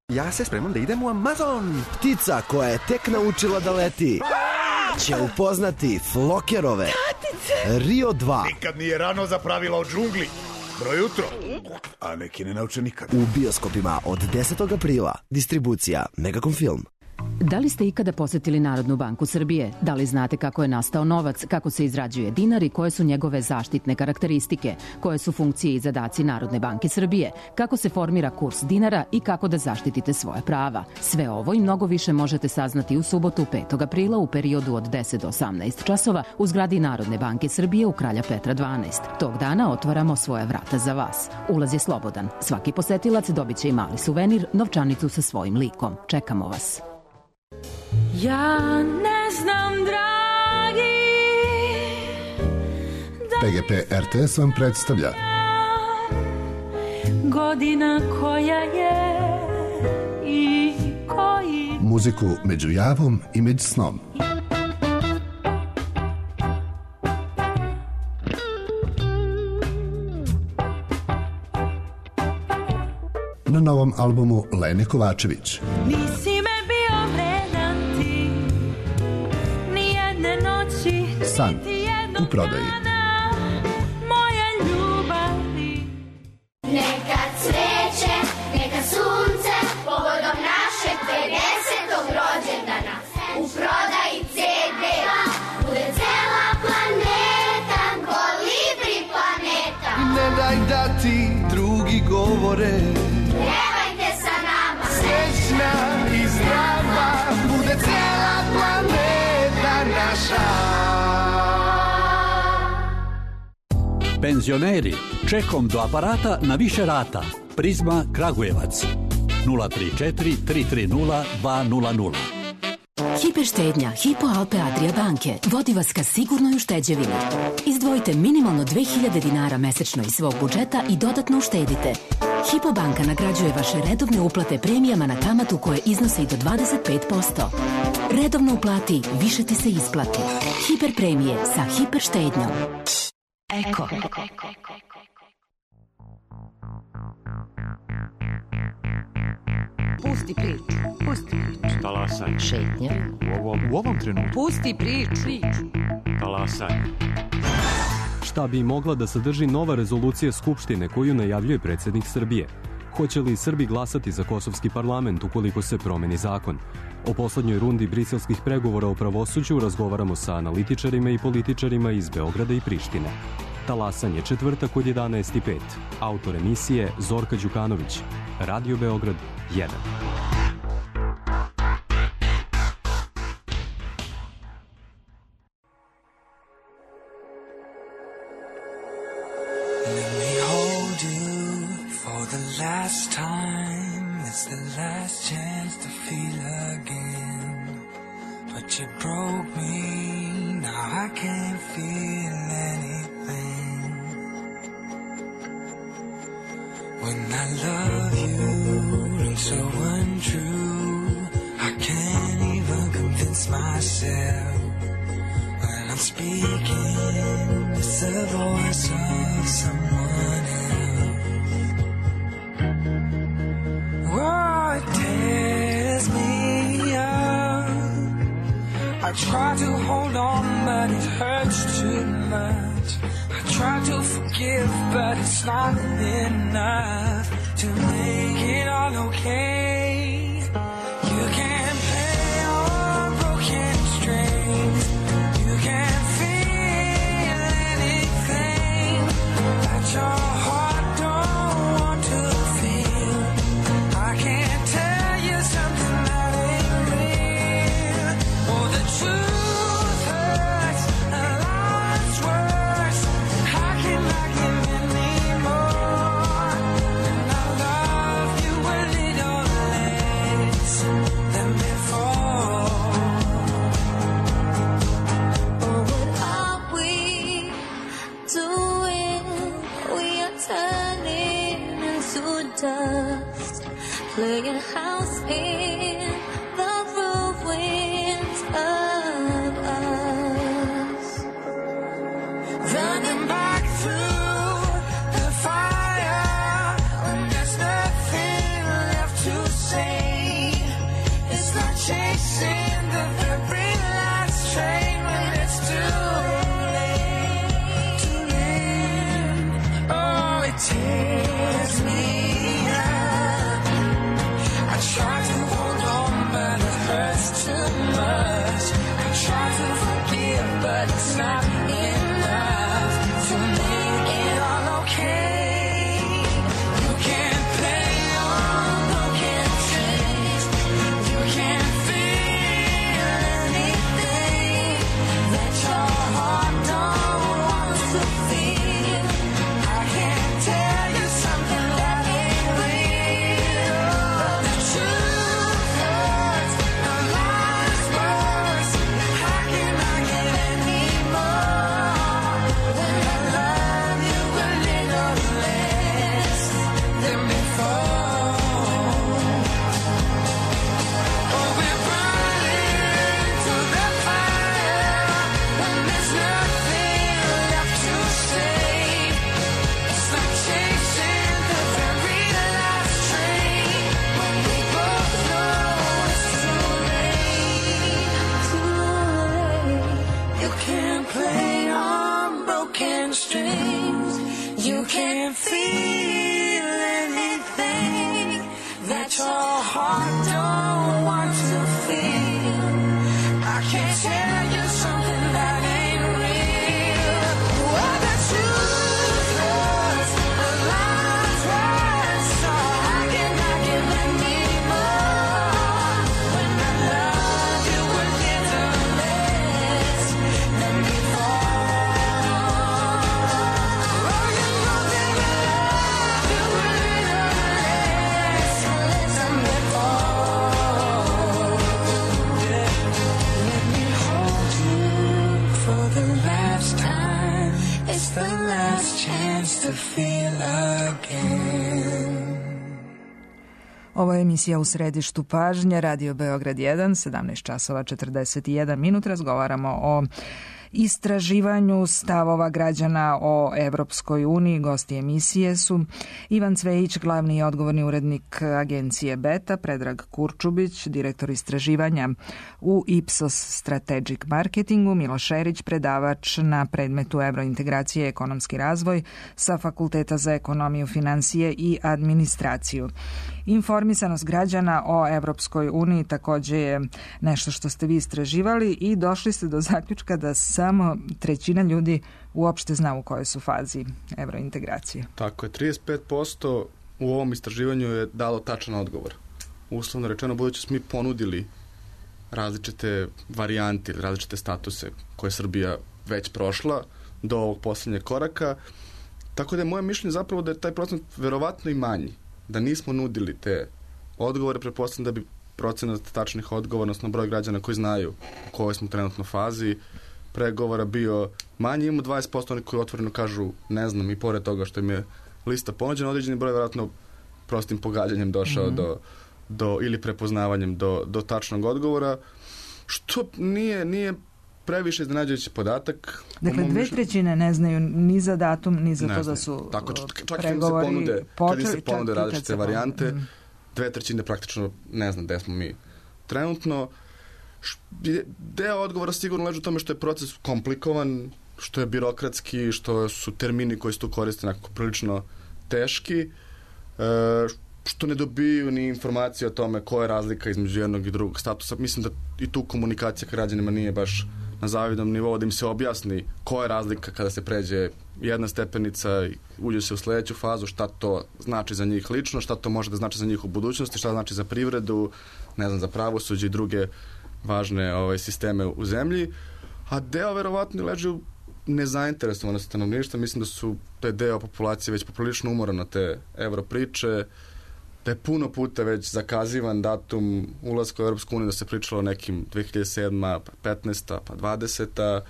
Ja se spremam da idem u Amazon. Ptica koja je tek naučila da leti će upoznati Flokerove Rio dva. Nikad nije rano za pravila o džungli. Dobro jutro. A neki ne nauče nikad. U bioskopima od desetog aprila. Distribucija Megacom Film. Da li ste ikada posetili Narodnu banku Srbije? Da li znate kako je nastao novac, kako se izrađuje dinar i koje su njegove zaštitne karakteristike? Koje su funkcije i zadaci Narodne banke Srbije? Kako se formira kurs dinara i kako da zaštitite svoje prava? Sve ovo i mnogo više možete saznati u subotu petog aprila u periodu od deset do osamnaest časova u zgradi Narodne banke Srbije u Kralja Petra dvanaest. Tog dana otvaramo svoja vrata za vas. Ulaz je slobodan. Svaki posetilac dobit će i mali suvenir, novčanicu sa svojim likom. Čekamo vas. Ja ne znam, drago. P G P R T S vam predstavlja Godina koja je i koji muziku među javom i među snom. Na novom albumu Lene Kovačević. Nisi me bio vredan ti, ni jedne noći, San u prodaji. Moje ljubavi. Neka cveće, neka sunce, povodom našeg pedesetog rođendana. U prodaji ce de, bude cela planeta, kolibri planeta. Ne daj da ti drugi govore, pevajte sa nama, srećna i zdrava, bude cela planeta naša. Penzioneri, čekom do aparata na više rata. Prizma Kragujevac. nula tri četiri tri tri nula dva nula nula. Hiperštednja Hypo Alpe Adria banke vodi vas ka sigurnoj ušteđevini. Izdvojite minimalno dve hiljade dinara mesečno iz svog budžeta i dodatno uštedite. Hypo banka nagrađuje vaše redovne uplate premijama na kamatu koje iznose i do dvadeset pet posto. Redovno uplati, više ti se isplati. Hiper premije sa hiperštednjom. Eko. Pusti priču. Pusti priču. Talasaj. Šetnja. U ovom, u ovom trenutku. Pusti priču. Talasaj. Šta bi mogla da sadrži nova rezolucija Skupštine koju najavljuje predsjednik Srbije? Hoće li Srbi glasati za kosovski parlament ukoliko se promeni zakon? O poslednjoj rundi briselskih pregovora o pravosuđu razgovaramo sa analitičarima i političarima iz Beograda i Prištine. Talasanje četvrtak od jedanaest i pet. Autor emisije Zorka Đukanović. Radio Beograd jedan. Let me hold you for the last time. It's the last chance to feel again. But you broke me, now I can't feel anything. When I love you, it's so untrue. I can't even convince myself. When I'm speaking, it's the voice of someone else. Oh, it tears me up. I try to hold on, but it hurts too much. I try to forgive, but it's not enough to make it all okay. You can't play on broken strings. You can't feel anything that your heart don't want to feel. I can't tell you something that ain't real. Oh, the truth hurts, a lot's worse. How can I give anymore? And I love you a little less than before. Oh, what are we doing? We are turning into dust, playing house in the ruins of us. Running back through the fire when there's nothing left to say. It's like chasing the very last train when it's too late, too late. Oh, it tears me up. I try to hold on, but it hurts too much. I try to forgive, but it's not enough to make it all okay. You can't play on broken strings. You can't feel anything that your heart don't want to feel. I can't tell you something that ain't real. But the truth hurts, a lot's worse. How can I get any more? don't want to feel. I can't tell you something that ain't real. Well, the truth hurts, the lies hurt, so how can I give anymore? When I love you a little less than before. Oh, you know that I love you a little less than before. Let me hold you for the last time. It's the last chance to feel again. Ovo je emisija U središtu pažnje, Radio Beograd jedan, sedamnaest časova četrdeset jedan minut. Razgovaramo o istraživanju stavova građana o Evropskoj uniji. Gosti emisije su Ivan Cvejić, glavni i odgovorni urednik agencije Beta, Predrag Kurčubić, direktor istraživanja u Ipsos Strategic Marketingu, Miloš Erić, predavač na predmetu Evrointegracije i ekonomski razvoj sa Fakulteta za ekonomiju, finansije i administraciju. Informisanost građana o Evropskoj uniji takođe je nešto što ste vi istraživali i došli ste do zaključka da samo trećina ljudi uopšte zna u kojoj su fazi evrointegracije. Tako je, trideset pet posto u ovom istraživanju je dalo tačan odgovor. Uslovno rečeno, budući smo mi ponudili različite varijante ili različite statuse koje je Srbija već prošla do ovog poslednjeg koraka, tako da je moje mišljenje zapravo da je taj procent verovatno i manji. Da nismo nudili te odgovore, pretpostavljam da bi procenat tačnih odgovora, odnosno broj građana koji znaju u kojoj smo trenutno fazi pregovora bio manji. Imamo dvadeset posto oni koji otvoreno kažu ne znam, i pored toga što im je lista ponuđena, određeni broj vjerojatno prostim pogađanjem došao mm-hmm. do, do, ili prepoznavanjem do, do tačnog odgovora, što nije, nije previše iznenađujući podatak. Dakle, dve trećine ne znaju ni za datum, ni za ne to da su tako, čak pregovori kad im se ponude, počeli, kad im se ponude različite varijante, mm. dve trećine praktično ne znam gde smo mi trenutno. Deo odgovora sigurno leži u tome što je proces komplikovan, što je birokratski, što su termini koji se tu koriste nekako prilično teški, što ne dobiju ni informacije o tome koja je razlika između jednog i drugog statusa. Mislim da i tu komunikacija k građanima nije baš na zavidnom nivou, da im se objasni koja je razlika kada se pređe jedna stepenica i uđe se u sledeću fazu, šta to znači za njih lično, šta to može da znači za njih u budućnosti, šta znači za privredu, ne znam, za pravosuđe i druge važne ovaj, sisteme u zemlji. A deo verovatno leži u nezainteresovanosti stanovništva. Mislim da su taj deo populacije već poprilično umoran na te evro priče, da je puno puta već zakazivan datum ulaska u Europsku uniju, da se pričalo o nekim dve hiljade sedma, pa petnaesta, pa dvadeseta,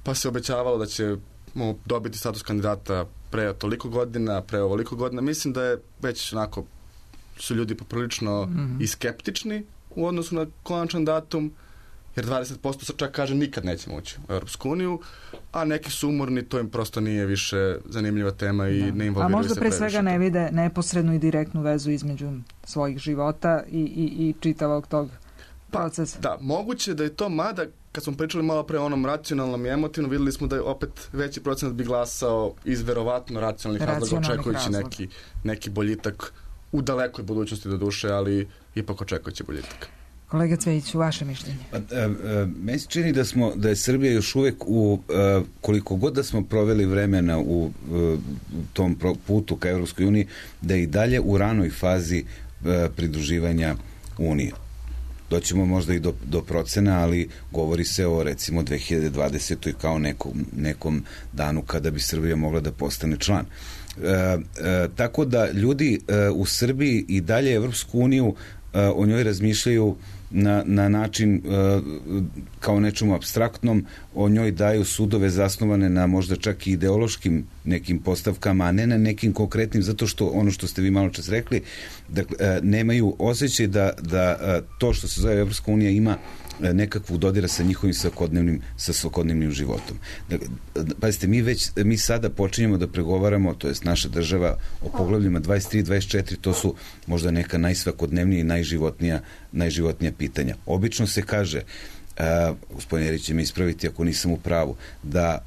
pa se obećavalo da ćemo dobiti status kandidata pre toliko godina, pre ovoliko godina. Mislim da je već onako, su ljudi poprilično mm-hmm. i skeptični u odnosu na konačan datum, jer dvadeset posto se čak kaže nikad nećemo ući u Europsku uniju, a neki su umorni, to im prosto nije više zanimljiva tema i da. ne involviraju se previše. A možda pre svega ne vide neposrednu i direktnu vezu između svojih života i, i, i čitavog tog procesa. Pa, da, moguće da je to, mada kad smo pričali malo pre o onom racionalnom i emotivnom, videli smo da je opet veći procenat bi glasao iz verovatno racionalnih razloga, očekujući neki, neki boljitak u dalekoj budućnosti do duše, ali ipak očekujući boljitak. Kolega Cvejić, vaše mišljenje? Pa, a, a, meni se čini da, smo, da je Srbija još uvek u, a, koliko god da smo proveli vremena u, a, u tom putu ka Evropskoj uniji, da je i dalje u ranoj fazi a, pridruživanja Unije. Doćemo možda i do, do procena, ali govori se o recimo dve hiljade dvadesetoj kao nekom, nekom danu kada bi Srbija mogla da postane član. E, e, tako da ljudi e, u Srbiji i dalje Evropsku uniju e, o njoj razmišljaju na, na način e, kao nečemu apstraktnom, o njoj daju sudove zasnovane na možda čak i ideološkim nekim postavkama, a ne na nekim konkretnim, zato što ono što ste vi malo čas rekli, da e, nemaju osjećaj da, da e, to što se zove Evropska unija ima nekakvu dodira sa njihovim svakodnevnim, sa svakodnevnim životom. Dakle, pazite, mi već, mi sada počinjemo da pregovaramo, to jest naša država, o poglavljima dvadeset tri dvadeset četiri, to su možda neka najsvakodnevnija i najživotnija, najživotnija pitanja. Obično se kaže, uh, gospodin Erić će me ispraviti ako nisam u pravu, da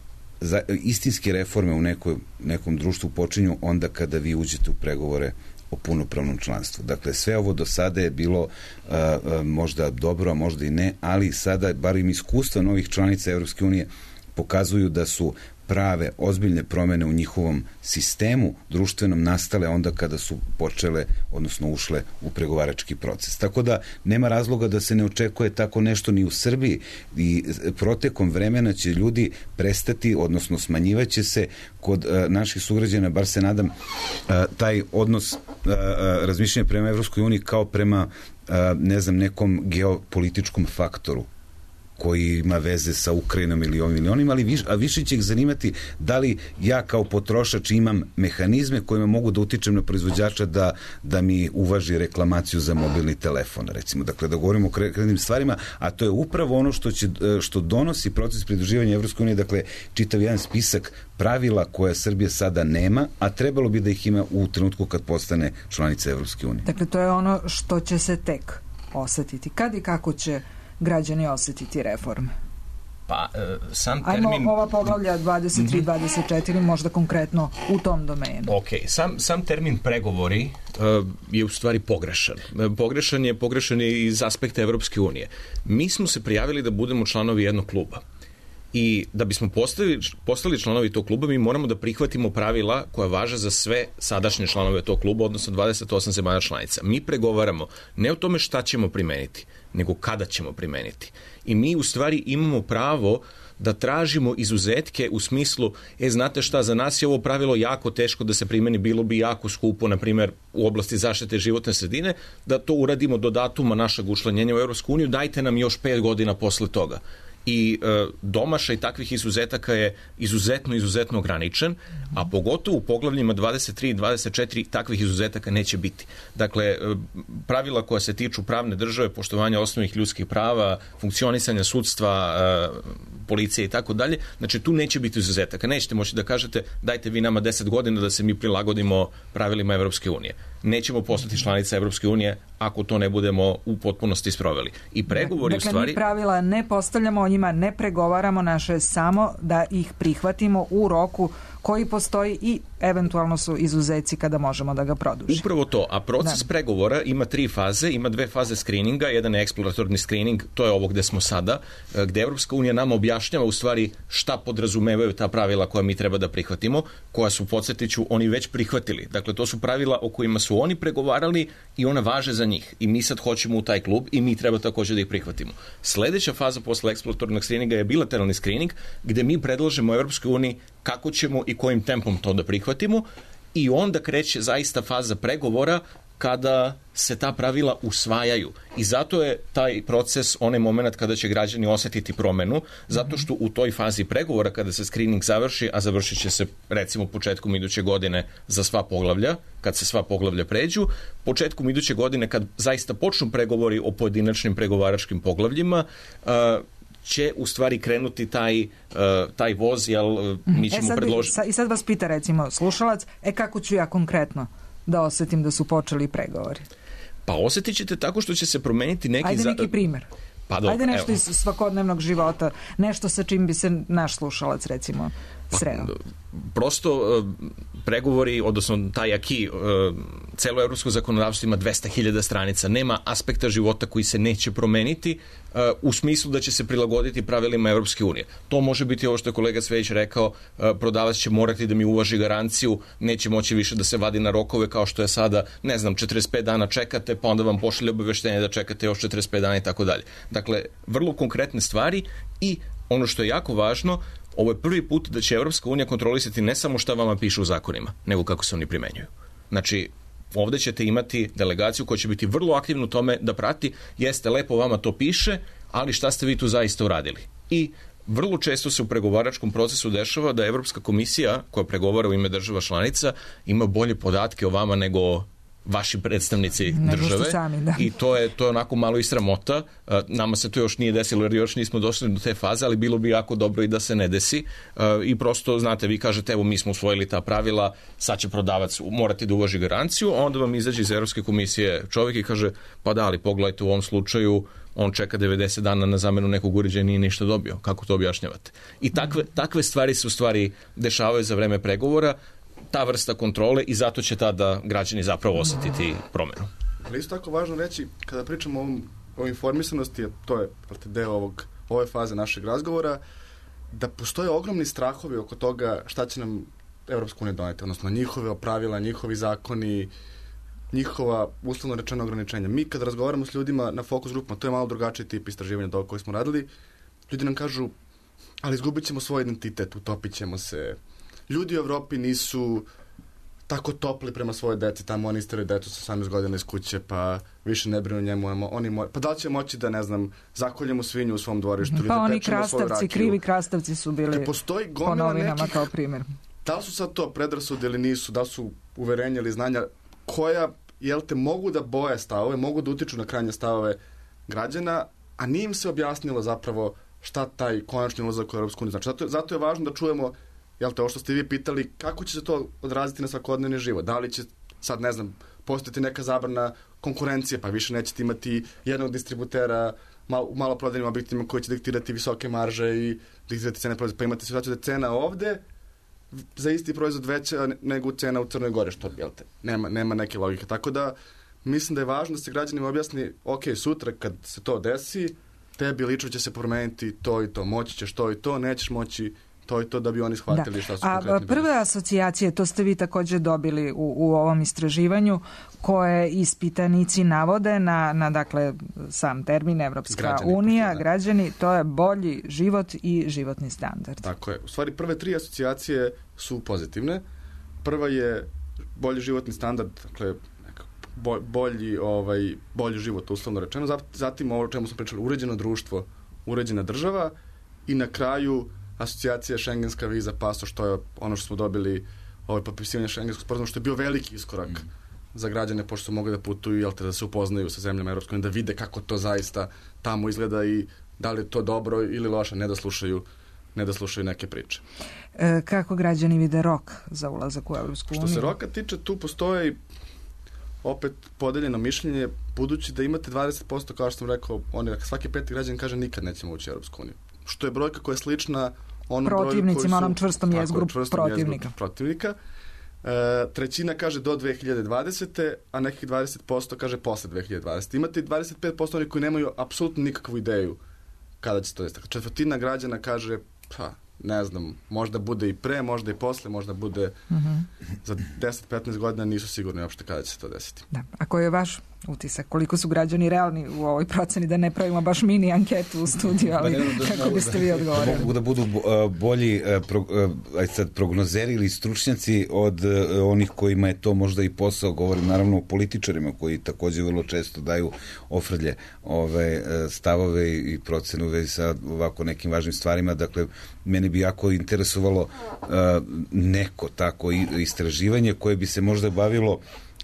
za, istinske reforme u nekoj, nekom društvu počinju onda kada vi uđete u pregovore o punopravnom članstvu. Dakle, sve ovo do sada je bilo uh, uh, možda dobro, a možda i ne, ali sada, bar im iskustva novih članica Evropske unije pokazuju da su prave, ozbiljne promene u njihovom sistemu društvenom nastale onda kada su počele, odnosno ušle u pregovarački proces. Tako da nema razloga da se ne očekuje tako nešto ni u Srbiji i protekom vremena će ljudi prestati, odnosno smanjivaće se kod uh, naših sugrađana, bar se nadam, uh, taj odnos uh, uh, razmišljanja prema Evropskoj uniji kao prema, uh, ne znam, nekom geopolitičkom faktoru koji ima veze sa Ukrajinom ili ovim ili onim, ali viš, a više će ih zanimati da li ja kao potrošač imam mehanizme kojima mogu da utičem na proizvođača da, da mi uvaži reklamaciju za mobilni telefon, recimo. Dakle, da govorimo o konkretnim stvarima, a to je upravo ono što, će, što donosi proces pridruživanja Evropske unije, dakle, čitav jedan spisak pravila koja Srbija sada nema, a trebalo bi da ih ima u trenutku kad postane članica Evropske unije. Dakle, to je ono što će se tek osetiti. Kad i kako će građani osetiti reforme? Pa, e, sam termin... Ajmo ova poglavlja dvadeset tri dvadeset četiri možda konkretno u tom domenu. Ok, sam, sam termin pregovori e, je u stvari pogrešan. E, pogrešan je, pogrešan je iz aspekta Evropske unije. Mi smo se prijavili da budemo članovi jednog kluba. I da bismo postali, postali članovi tog kluba, mi moramo da prihvatimo pravila koja važe za sve sadašnje članove tog kluba, odnosno dvadeset osam zemalja članica. Mi pregovaramo ne o tome šta ćemo primeniti, nego kada ćemo primeniti. I mi u stvari imamo pravo da tražimo izuzetke u smislu, e, znate šta, za nas je ovo pravilo jako teško da se primeni, bilo bi jako skupo, na primjer, u oblasti zaštite životne sredine, da to uradimo do datuma našeg učlanjenja u Evropsku uniju, dajte nam još pet godina posle toga. I e, domašaj takvih izuzetaka je izuzetno, izuzetno ograničen, a pogotovo u poglavljima dvadeset tri i dvadeset četiri takvih izuzetaka neće biti. Dakle, e, pravila koja se tiču pravne države, poštovanja osnovnih ljudskih prava, funkcionisanja sudstva, e, policije i tako dalje, znači tu neće biti izuzetaka. Nećete moći da kažete dajte vi nama deset godina da se mi prilagodimo pravilima Evropske unije. Nećemo postati članica Evropske unije ako to ne budemo u potpunosti sproveli. I pregovori dakle, u stvari... mi pravila ne postavljamo, o njima ne pregovaramo, naše je samo da ih prihvatimo u roku koji postoji i eventualno su izuzeci kada možemo da ga produžimo. Upravo to, a proces da. pregovora ima tri faze, ima dve faze skrininga, jedan je eksploratorni skrining, to je ovo gde smo sada, gde Evropska unija nama objašnjava u stvari šta podrazumevaju ta pravila koja mi treba da prihvatimo, koja su, podsjetiću, oni već prihvatili. Dakle, to su pravila o kojima su oni pregovarali i ona važe za njih. I mi sad hoćemo u taj klub i mi treba također da ih prihvatimo. Sledeća faza posle eksploratornog skrininga je bilateralni skrining, gde mi predlažemo Evropskoj uniji kako ćemo i kojim tempom to da prihvatimo i onda kreće zaista faza pregovora kada se ta pravila usvajaju. I zato je taj proces onaj moment kada će građani osetiti promenu, zato što u toj fazi pregovora kada se screening završi, a završit će se recimo početkom iduće godine za sva poglavlja, kad se sva poglavlja pređu, početkom iduće godine kad zaista počnu pregovori o pojedinačnim pregovaračkim poglavljima, uh, će u stvari krenuti taj, uh, taj voz, jel mi ćemo e sad, predložiti... I sad vas pita recimo slušalac, e kako ću ja konkretno da osetim da su počeli pregovori? Pa osetit ćete tako što će se promeniti neki... Ajde neki primjer. Pa dobro, Ajde nešto evo. iz svakodnevnog života, nešto sa čim bi se naš slušalac recimo sreo. Pa, prosto pregovori, odnosno taj aki, celo evropsko zakonodavstvo ima dvesta hiljada stranica, nema aspekta života koji se neće promeniti u smislu da će se prilagoditi pravilima Evropske unije. To može biti ovo što je kolega Cvejić rekao, prodavac će morati da mi uvaži garanciju, neće moći više da se vadi na rokove kao što je sada, ne znam, četrdeset pet dana čekate, pa onda vam pošalje obaveštenje da čekate još četrdeset pet dana i tako dalje. Dakle, vrlo konkretne stvari i ono što je jako važno, ovo je prvi put da će Evropska unija kontrolisati ne samo šta vama piše u zakonima, nego kako se oni primenjuju. Znači, ovde ćete imati delegaciju koja će biti vrlo aktivna u tome da prati, jeste lepo vama to piše, ali šta ste vi tu zaista uradili. I vrlo često se u pregovaračkom procesu dešava da Evropska komisija, koja pregovara u ime država članica, ima bolje podatke o vama nego vaši predstavnici države sami, da. I to je, to je onako malo i sramota. Nama se to još nije desilo jer još nismo došli do te faze, ali bilo bi jako dobro i da se ne desi. I prosto, znate, vi kažete, evo mi smo usvojili ta pravila, sad će prodavac morati da uvaži garanciju, a onda vam izađe iz Evropske komisije čovjek i kaže, pa da, ali pogledajte u ovom slučaju, on čeka devedeset dana na zamenu nekog uređaja i nije ništa dobio. Kako to objašnjavate? I takve, takve stvari se u stvari dešavaju za vreme pregovora. ta vrsta kontrole i zato će tada građani zapravo osetiti promjenu. Ali isto tako važno reći, kada pričamo o, ovom, o informisanosti, to je deo ovog, ove faze našeg razgovora, da postoje ogromni strahovi oko toga šta će nam Evropska unija doneti, odnosno njihove pravila, njihovi zakoni, njihova uslovno rečena ograničenja. Mi kad razgovaramo s ljudima na fokus grupama, to je malo drugačiji tip istraživanja do koji smo radili, ljudi nam kažu, ali izgubit ćemo svoj identitet, utopit ćemo se. Ljudi u Evropi nisu tako topli prema svoje deci, tamo oni istiraju decu sa osamnaest godina iz kuće, pa više ne brinu njemu, oni mo- pa da li će moći da, ne znam, zakoljemo svinju u svom dvorištu ili pa da oni pečemo svoju rakiju. krastavci, krivi krastavci su bili po novinama nekih, kao primjer. Da li su sad to predrasude ili nisu, da li su uverenja ili znanja koja, jel te, mogu da boje stavove, mogu da utiču na krajnje stavove građana, a nije im se objasnilo zapravo šta taj konačni ulazak u Europsku uniju znači. Zato, zato je važno da čujemo, jel te, ovo što ste vi pitali, kako će se to odraziti na svakodnevni život? Da li će sad, ne znam, postojati neka zabrana konkurencije, pa više nećete imati jednog distributera mal, u maloprodajnim objektima koji će diktirati visoke marže i diktirati cene proizvoda. Pa imate situaciju da cena ovde za isti proizvod veća nego cena u Crnoj Gori, što, jel te, nema, nema neke logike. Tako da, mislim da je važno da se građanima objasni, ok, sutra kad se to desi, tebi lično će se promeniti to i to, moći ćeš to i to, nećeš moći to i to, da bi oni shvatili da. Šta su konkretni. A prve bili. Asocijacije, to ste vi također dobili u, u ovom istraživanju, koje ispitanici navode na, na dakle, sam termin Evropska građani, unija, da. Građani, to je bolji život i životni standard. Tako je. U stvari, prve tri asocijacije su pozitivne. Prva je bolji životni standard, dakle, bolji, ovaj, bolji život, uslovno rečeno. Zatim ovo o čemu smo pričali, uređeno društvo, uređena država i na kraju asocijacija šengenska viza, paso, što je ono što smo dobili, ovaj, potpisivanje šengenskog sporazuma, što je bio veliki iskorak mm. za građane, pošto su mogli da putuju, jel te, da se upoznaju sa zemljama Evropske unije, da vide kako to zaista tamo izgleda i da li je to dobro ili loše, ne da slušaju, ne da slušaju neke priče. E, kako građani vide rok za ulazak u Evropsku uniju? Što se roka tiče, tu postoji opet podeljeno mišljenje, budući da imate dvadeset posto, kao što sam rekao, oni, svaki peti građan kaže nikad nećemo ući u Evropsku uniju. Što je brojka koja je slična onom protivnicima, onom čvrstom jezgru protivnika. protivnika. E, trećina kaže do dve hiljade dvadesete. a nekih dvadeset posto kaže posle dve hiljade dvadesete. Imate dvadeset pet posto oni koji nemaju apsolutno nikakvu ideju kada će to desiti. Četvrtina građana kaže, pa, ne znam, možda bude i pre, možda i posle, možda bude mm-hmm. za deset do petnaest godina, nisu sigurni uopšte kada će se to desiti. Da. A koji je vaš utisak? Koliko su građani realni u ovoj proceni, da ne pravimo baš mini anketu u studiju, ali da, da, kako biste vi odgovorili? Mogu da budu bolji pro, aj sad, prognozeri ili stručnjaci od onih kojima je to možda i posao, govorim naravno o političarima koji također vrlo često daju ofrlje ove stavove i procene u vezi sa ovako nekim važnim stvarima. Dakle, mene bi jako interesovalo uh, neko tako istraživanje koje bi se možda bavilo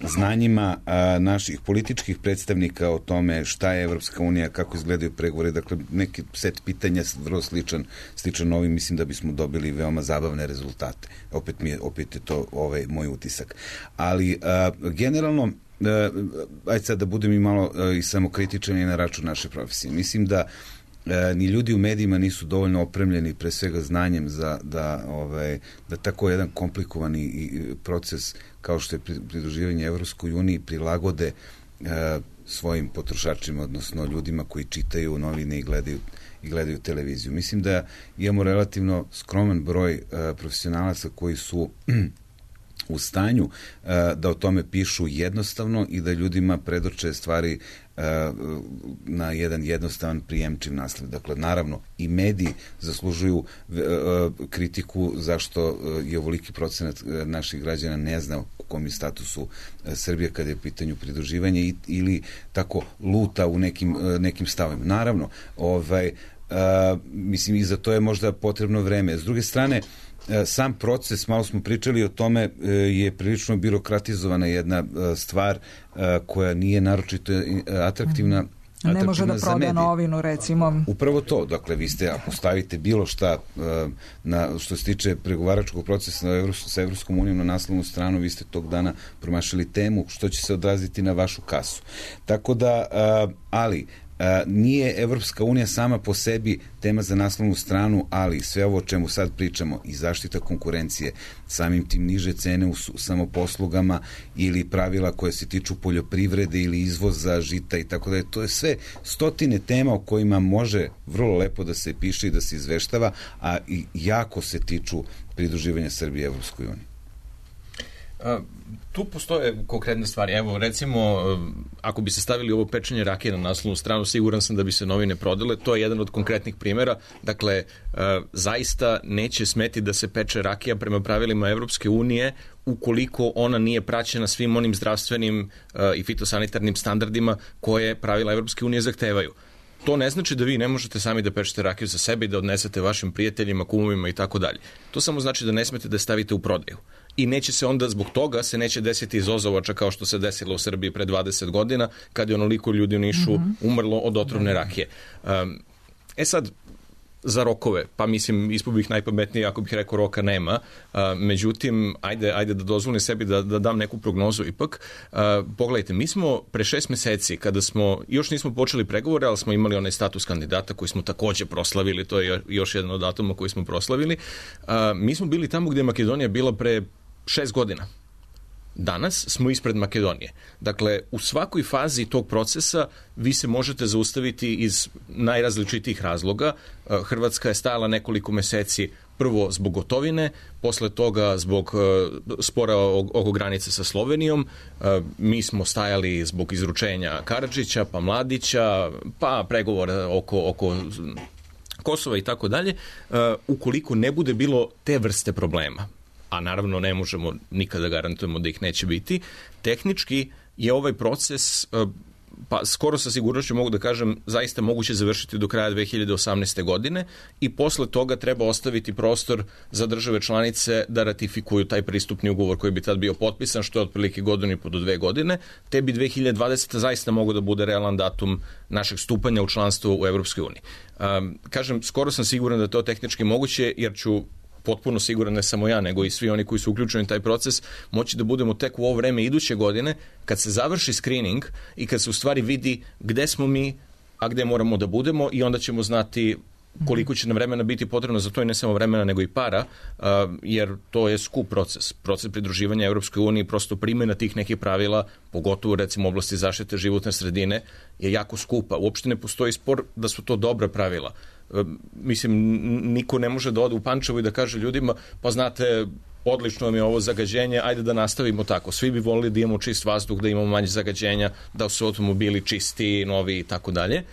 znanjima a, naših političkih predstavnika o tome šta je Evropska unija, kako izgledaju pregovore, dakle neki set pitanja vrlo sličan, sličan ovim, mislim da bismo dobili veoma zabavne rezultate. Opet mi je, opet je to ovaj moj utisak. Ali a, generalno, a, ajde sad da budem i malo a, i samokritičan i na račun naše profesije. Mislim da E, ni ljudi u medijima nisu dovoljno opremljeni pre svega znanjem za, da, ovaj, da tako jedan komplikovani i proces kao što je pridruživanje Evropskoj uniji prilagode e, svojim potrošačima, odnosno ljudima koji čitaju novine i gledaju, i gledaju televiziju. Mislim da imamo relativno skroman broj e, profesionalaca koji su u stanju uh, da o tome pišu jednostavno i da ljudima predoče stvari uh, na jedan jednostavan prijemčiv naslov. Dakle, naravno, i mediji zaslužuju uh, kritiku zašto uh, je ovoliki procenat uh, naših građana ne zna u kom je statusu uh, Srbije kada je u pitanju pridruživanja i, ili tako luta u nekim, uh, nekim stavima. Naravno, ovaj, uh, mislim, i za to je možda potrebno vreme. S druge strane, sam proces, malo smo pričali o tome, je prilično birokratizovana jedna stvar koja nije naročito atraktivna. Ne može da proda novinu, recimo. Upravo to, dakle, vi ste, ako stavite bilo šta na, što se tiče pregovaračkog procesa sa Evropskom unijom na naslovnu stranu, vi ste tog dana promašili temu što će se odraziti na vašu kasu. Tako da, ali, nije Evropska unija sama po sebi tema za naslovnu stranu, ali sve ovo o čemu sad pričamo i zaštita konkurencije, samim tim niže cene u samoposlugama ili pravila koje se tiču poljoprivrede ili izvoza žita i tako da to je sve stotine tema o kojima može vrlo lepo da se piše i da se izveštava, a i jako se tiču pridruživanja Srbije Evropskoj uniji. Tu postoje konkretne stvari. Evo, recimo, ako bi se stavili ovo pečenje rakije na naslovnu stranu, siguran sam da bi se novine prodale. To je jedan od konkretnih primjera. Dakle, zaista neće smeti da se peče rakija prema pravilima Evropske unije ukoliko ona nije praćena svim onim zdravstvenim i fitosanitarnim standardima koje pravila Evropske unije zahtevaju. To ne znači da vi ne možete sami da pečete rakiju za sebe i da odnesete vašim prijateljima, kumovima i tako dalje. To samo znači da ne smete da stavite u prodaju. I neće se onda, zbog toga se neće desiti izozovača kao što se desilo u Srbiji pre dvadeset godina, kad je onoliko ljudi u Nišu umrlo od otrovne rakije. Um, e sad, za rokove, pa mislim, ispod bih najpametniji ako bih rekao roka nema, uh, međutim, ajde, ajde da dozvolim sebi da, da dam neku prognozu ipak. Uh, pogledajte, mi smo pre šest meseci, kada smo, još nismo počeli pregovore, ali smo imali onaj status kandidata koji smo takođe proslavili, to je još jedan od datuma koji smo proslavili, uh, mi smo bili tamo gde je Makedonija bila pre šest godina. Danas smo ispred Makedonije. Dakle, u svakoj fazi tog procesa vi se možete zaustaviti iz najrazličitijih razloga. Hrvatska je stajala nekoliko meseci prvo zbog gotovine, posle toga zbog spora oko granice sa Slovenijom, mi smo stajali zbog izručenja Karadžića, pa Mladića, pa pregovora oko, oko Kosova i tako dalje. Ukoliko ne bude bilo te vrste problema, a naravno ne možemo nikada garantujemo da ih neće biti, tehnički je ovaj proces, pa skoro sa sigurnošću mogu da kažem, zaista moguće završiti do kraja dve hiljade osamnaeste. godine i posle toga treba ostaviti prostor za države članice da ratifikuju taj pristupni ugovor koji bi tad bio potpisan, što je otprilike godinu i po do dve godine, te bi dve hiljade dvadesete. zaista mogu da bude realan datum našeg stupanja u članstvo u Evropskoj uniji. Um, kažem, skoro sam siguran da je to tehnički moguće, jer ću potpuno siguran, ne samo ja, nego i svi oni koji su uključeni u taj proces, moći da budemo tek u ovo vreme iduće godine, kad se završi screening i kad se u stvari vidi gde smo mi, a gde moramo da budemo, i onda ćemo znati koliko će nam vremena biti potrebno za to, i ne samo vremena, nego i para, uh, jer to je skup proces. Proces pridruživanja Evropskoj uniji, prosto primjena tih nekih pravila, pogotovo recimo u oblasti zaštite životne sredine, je jako skupa. Uopšte ne postoji spor da su to dobra pravila. Mislim, niko ne može da ode u Pančevo i da kaže ljudima, pa znate, odlično vam je ovo zagađenje, ajde da nastavimo tako. Svi bi volili da imamo čist vazduh, da imamo manje zagađenja, da su automobili čisti, novi i tako dalje.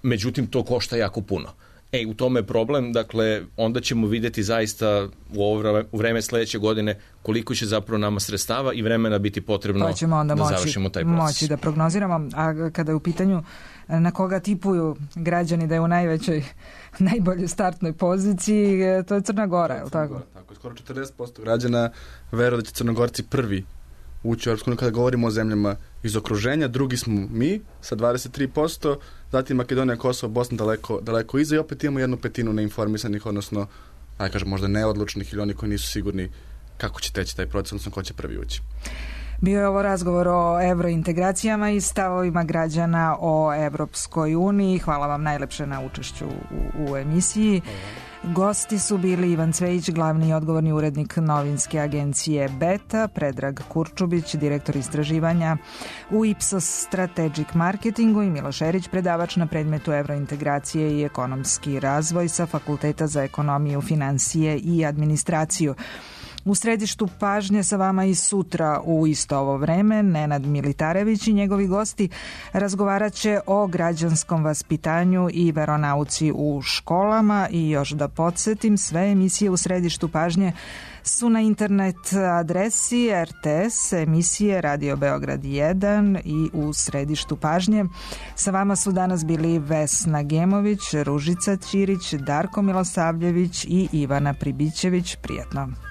Međutim, to košta jako puno. E, u tome je problem, dakle, onda ćemo vidjeti zaista u ovo vreme sledeće godine koliko će zapravo nama sredstava i vremena biti potrebno pa ćemo onda da moći, završimo taj proces. Moći da prognoziramo, a kada je u pitanju na koga tipuju građani da je u najvećoj, najboljoj startnoj poziciji, to je Crna Gora, je li tako? Tako, skoro četrdeset posto građana veruje da će Crnogorci prvi ući u Europsku uniju kada govorimo o zemljama iz okruženja, drugi smo mi sa dvadeset tri posto, zatim Makedonija, Kosovo, Bosna daleko, daleko iza i opet imamo jednu petinu neinformisanih, odnosno, ajde kažem, možda neodlučnih ili oni koji nisu sigurni kako će teći taj proces, odnosno ko će prvi ući. Bio je ovo razgovor o evrointegracijama i stavovima građana o Evropskoj uniji. Hvala vam najlepše na učešću u, u emisiji. Gosti su bili Ivan Cvejić, glavni i odgovorni urednik novinske agencije Beta, Predrag Kurčubić, direktor istraživanja u Ipsos Strategic Marketingu, i Miloš Erić, predavač na predmetu evrointegracije i ekonomski razvoj sa Fakulteta za ekonomiju, finansije i administraciju. U središtu pažnje sa vama i sutra u isto ovo vreme Nenad Militarević i njegovi gosti razgovarat će o građanskom vaspitanju i veronauci u školama. I još da podsjetim, sve emisije u središtu pažnje su na internet adresi R T S, emisije Radio Beograd jedan i u središtu pažnje. Sa vama su danas bili Vesna Gemović, Ružica Ćirić, Darko Milosavljević i Ivana Pribićević. Prijetno.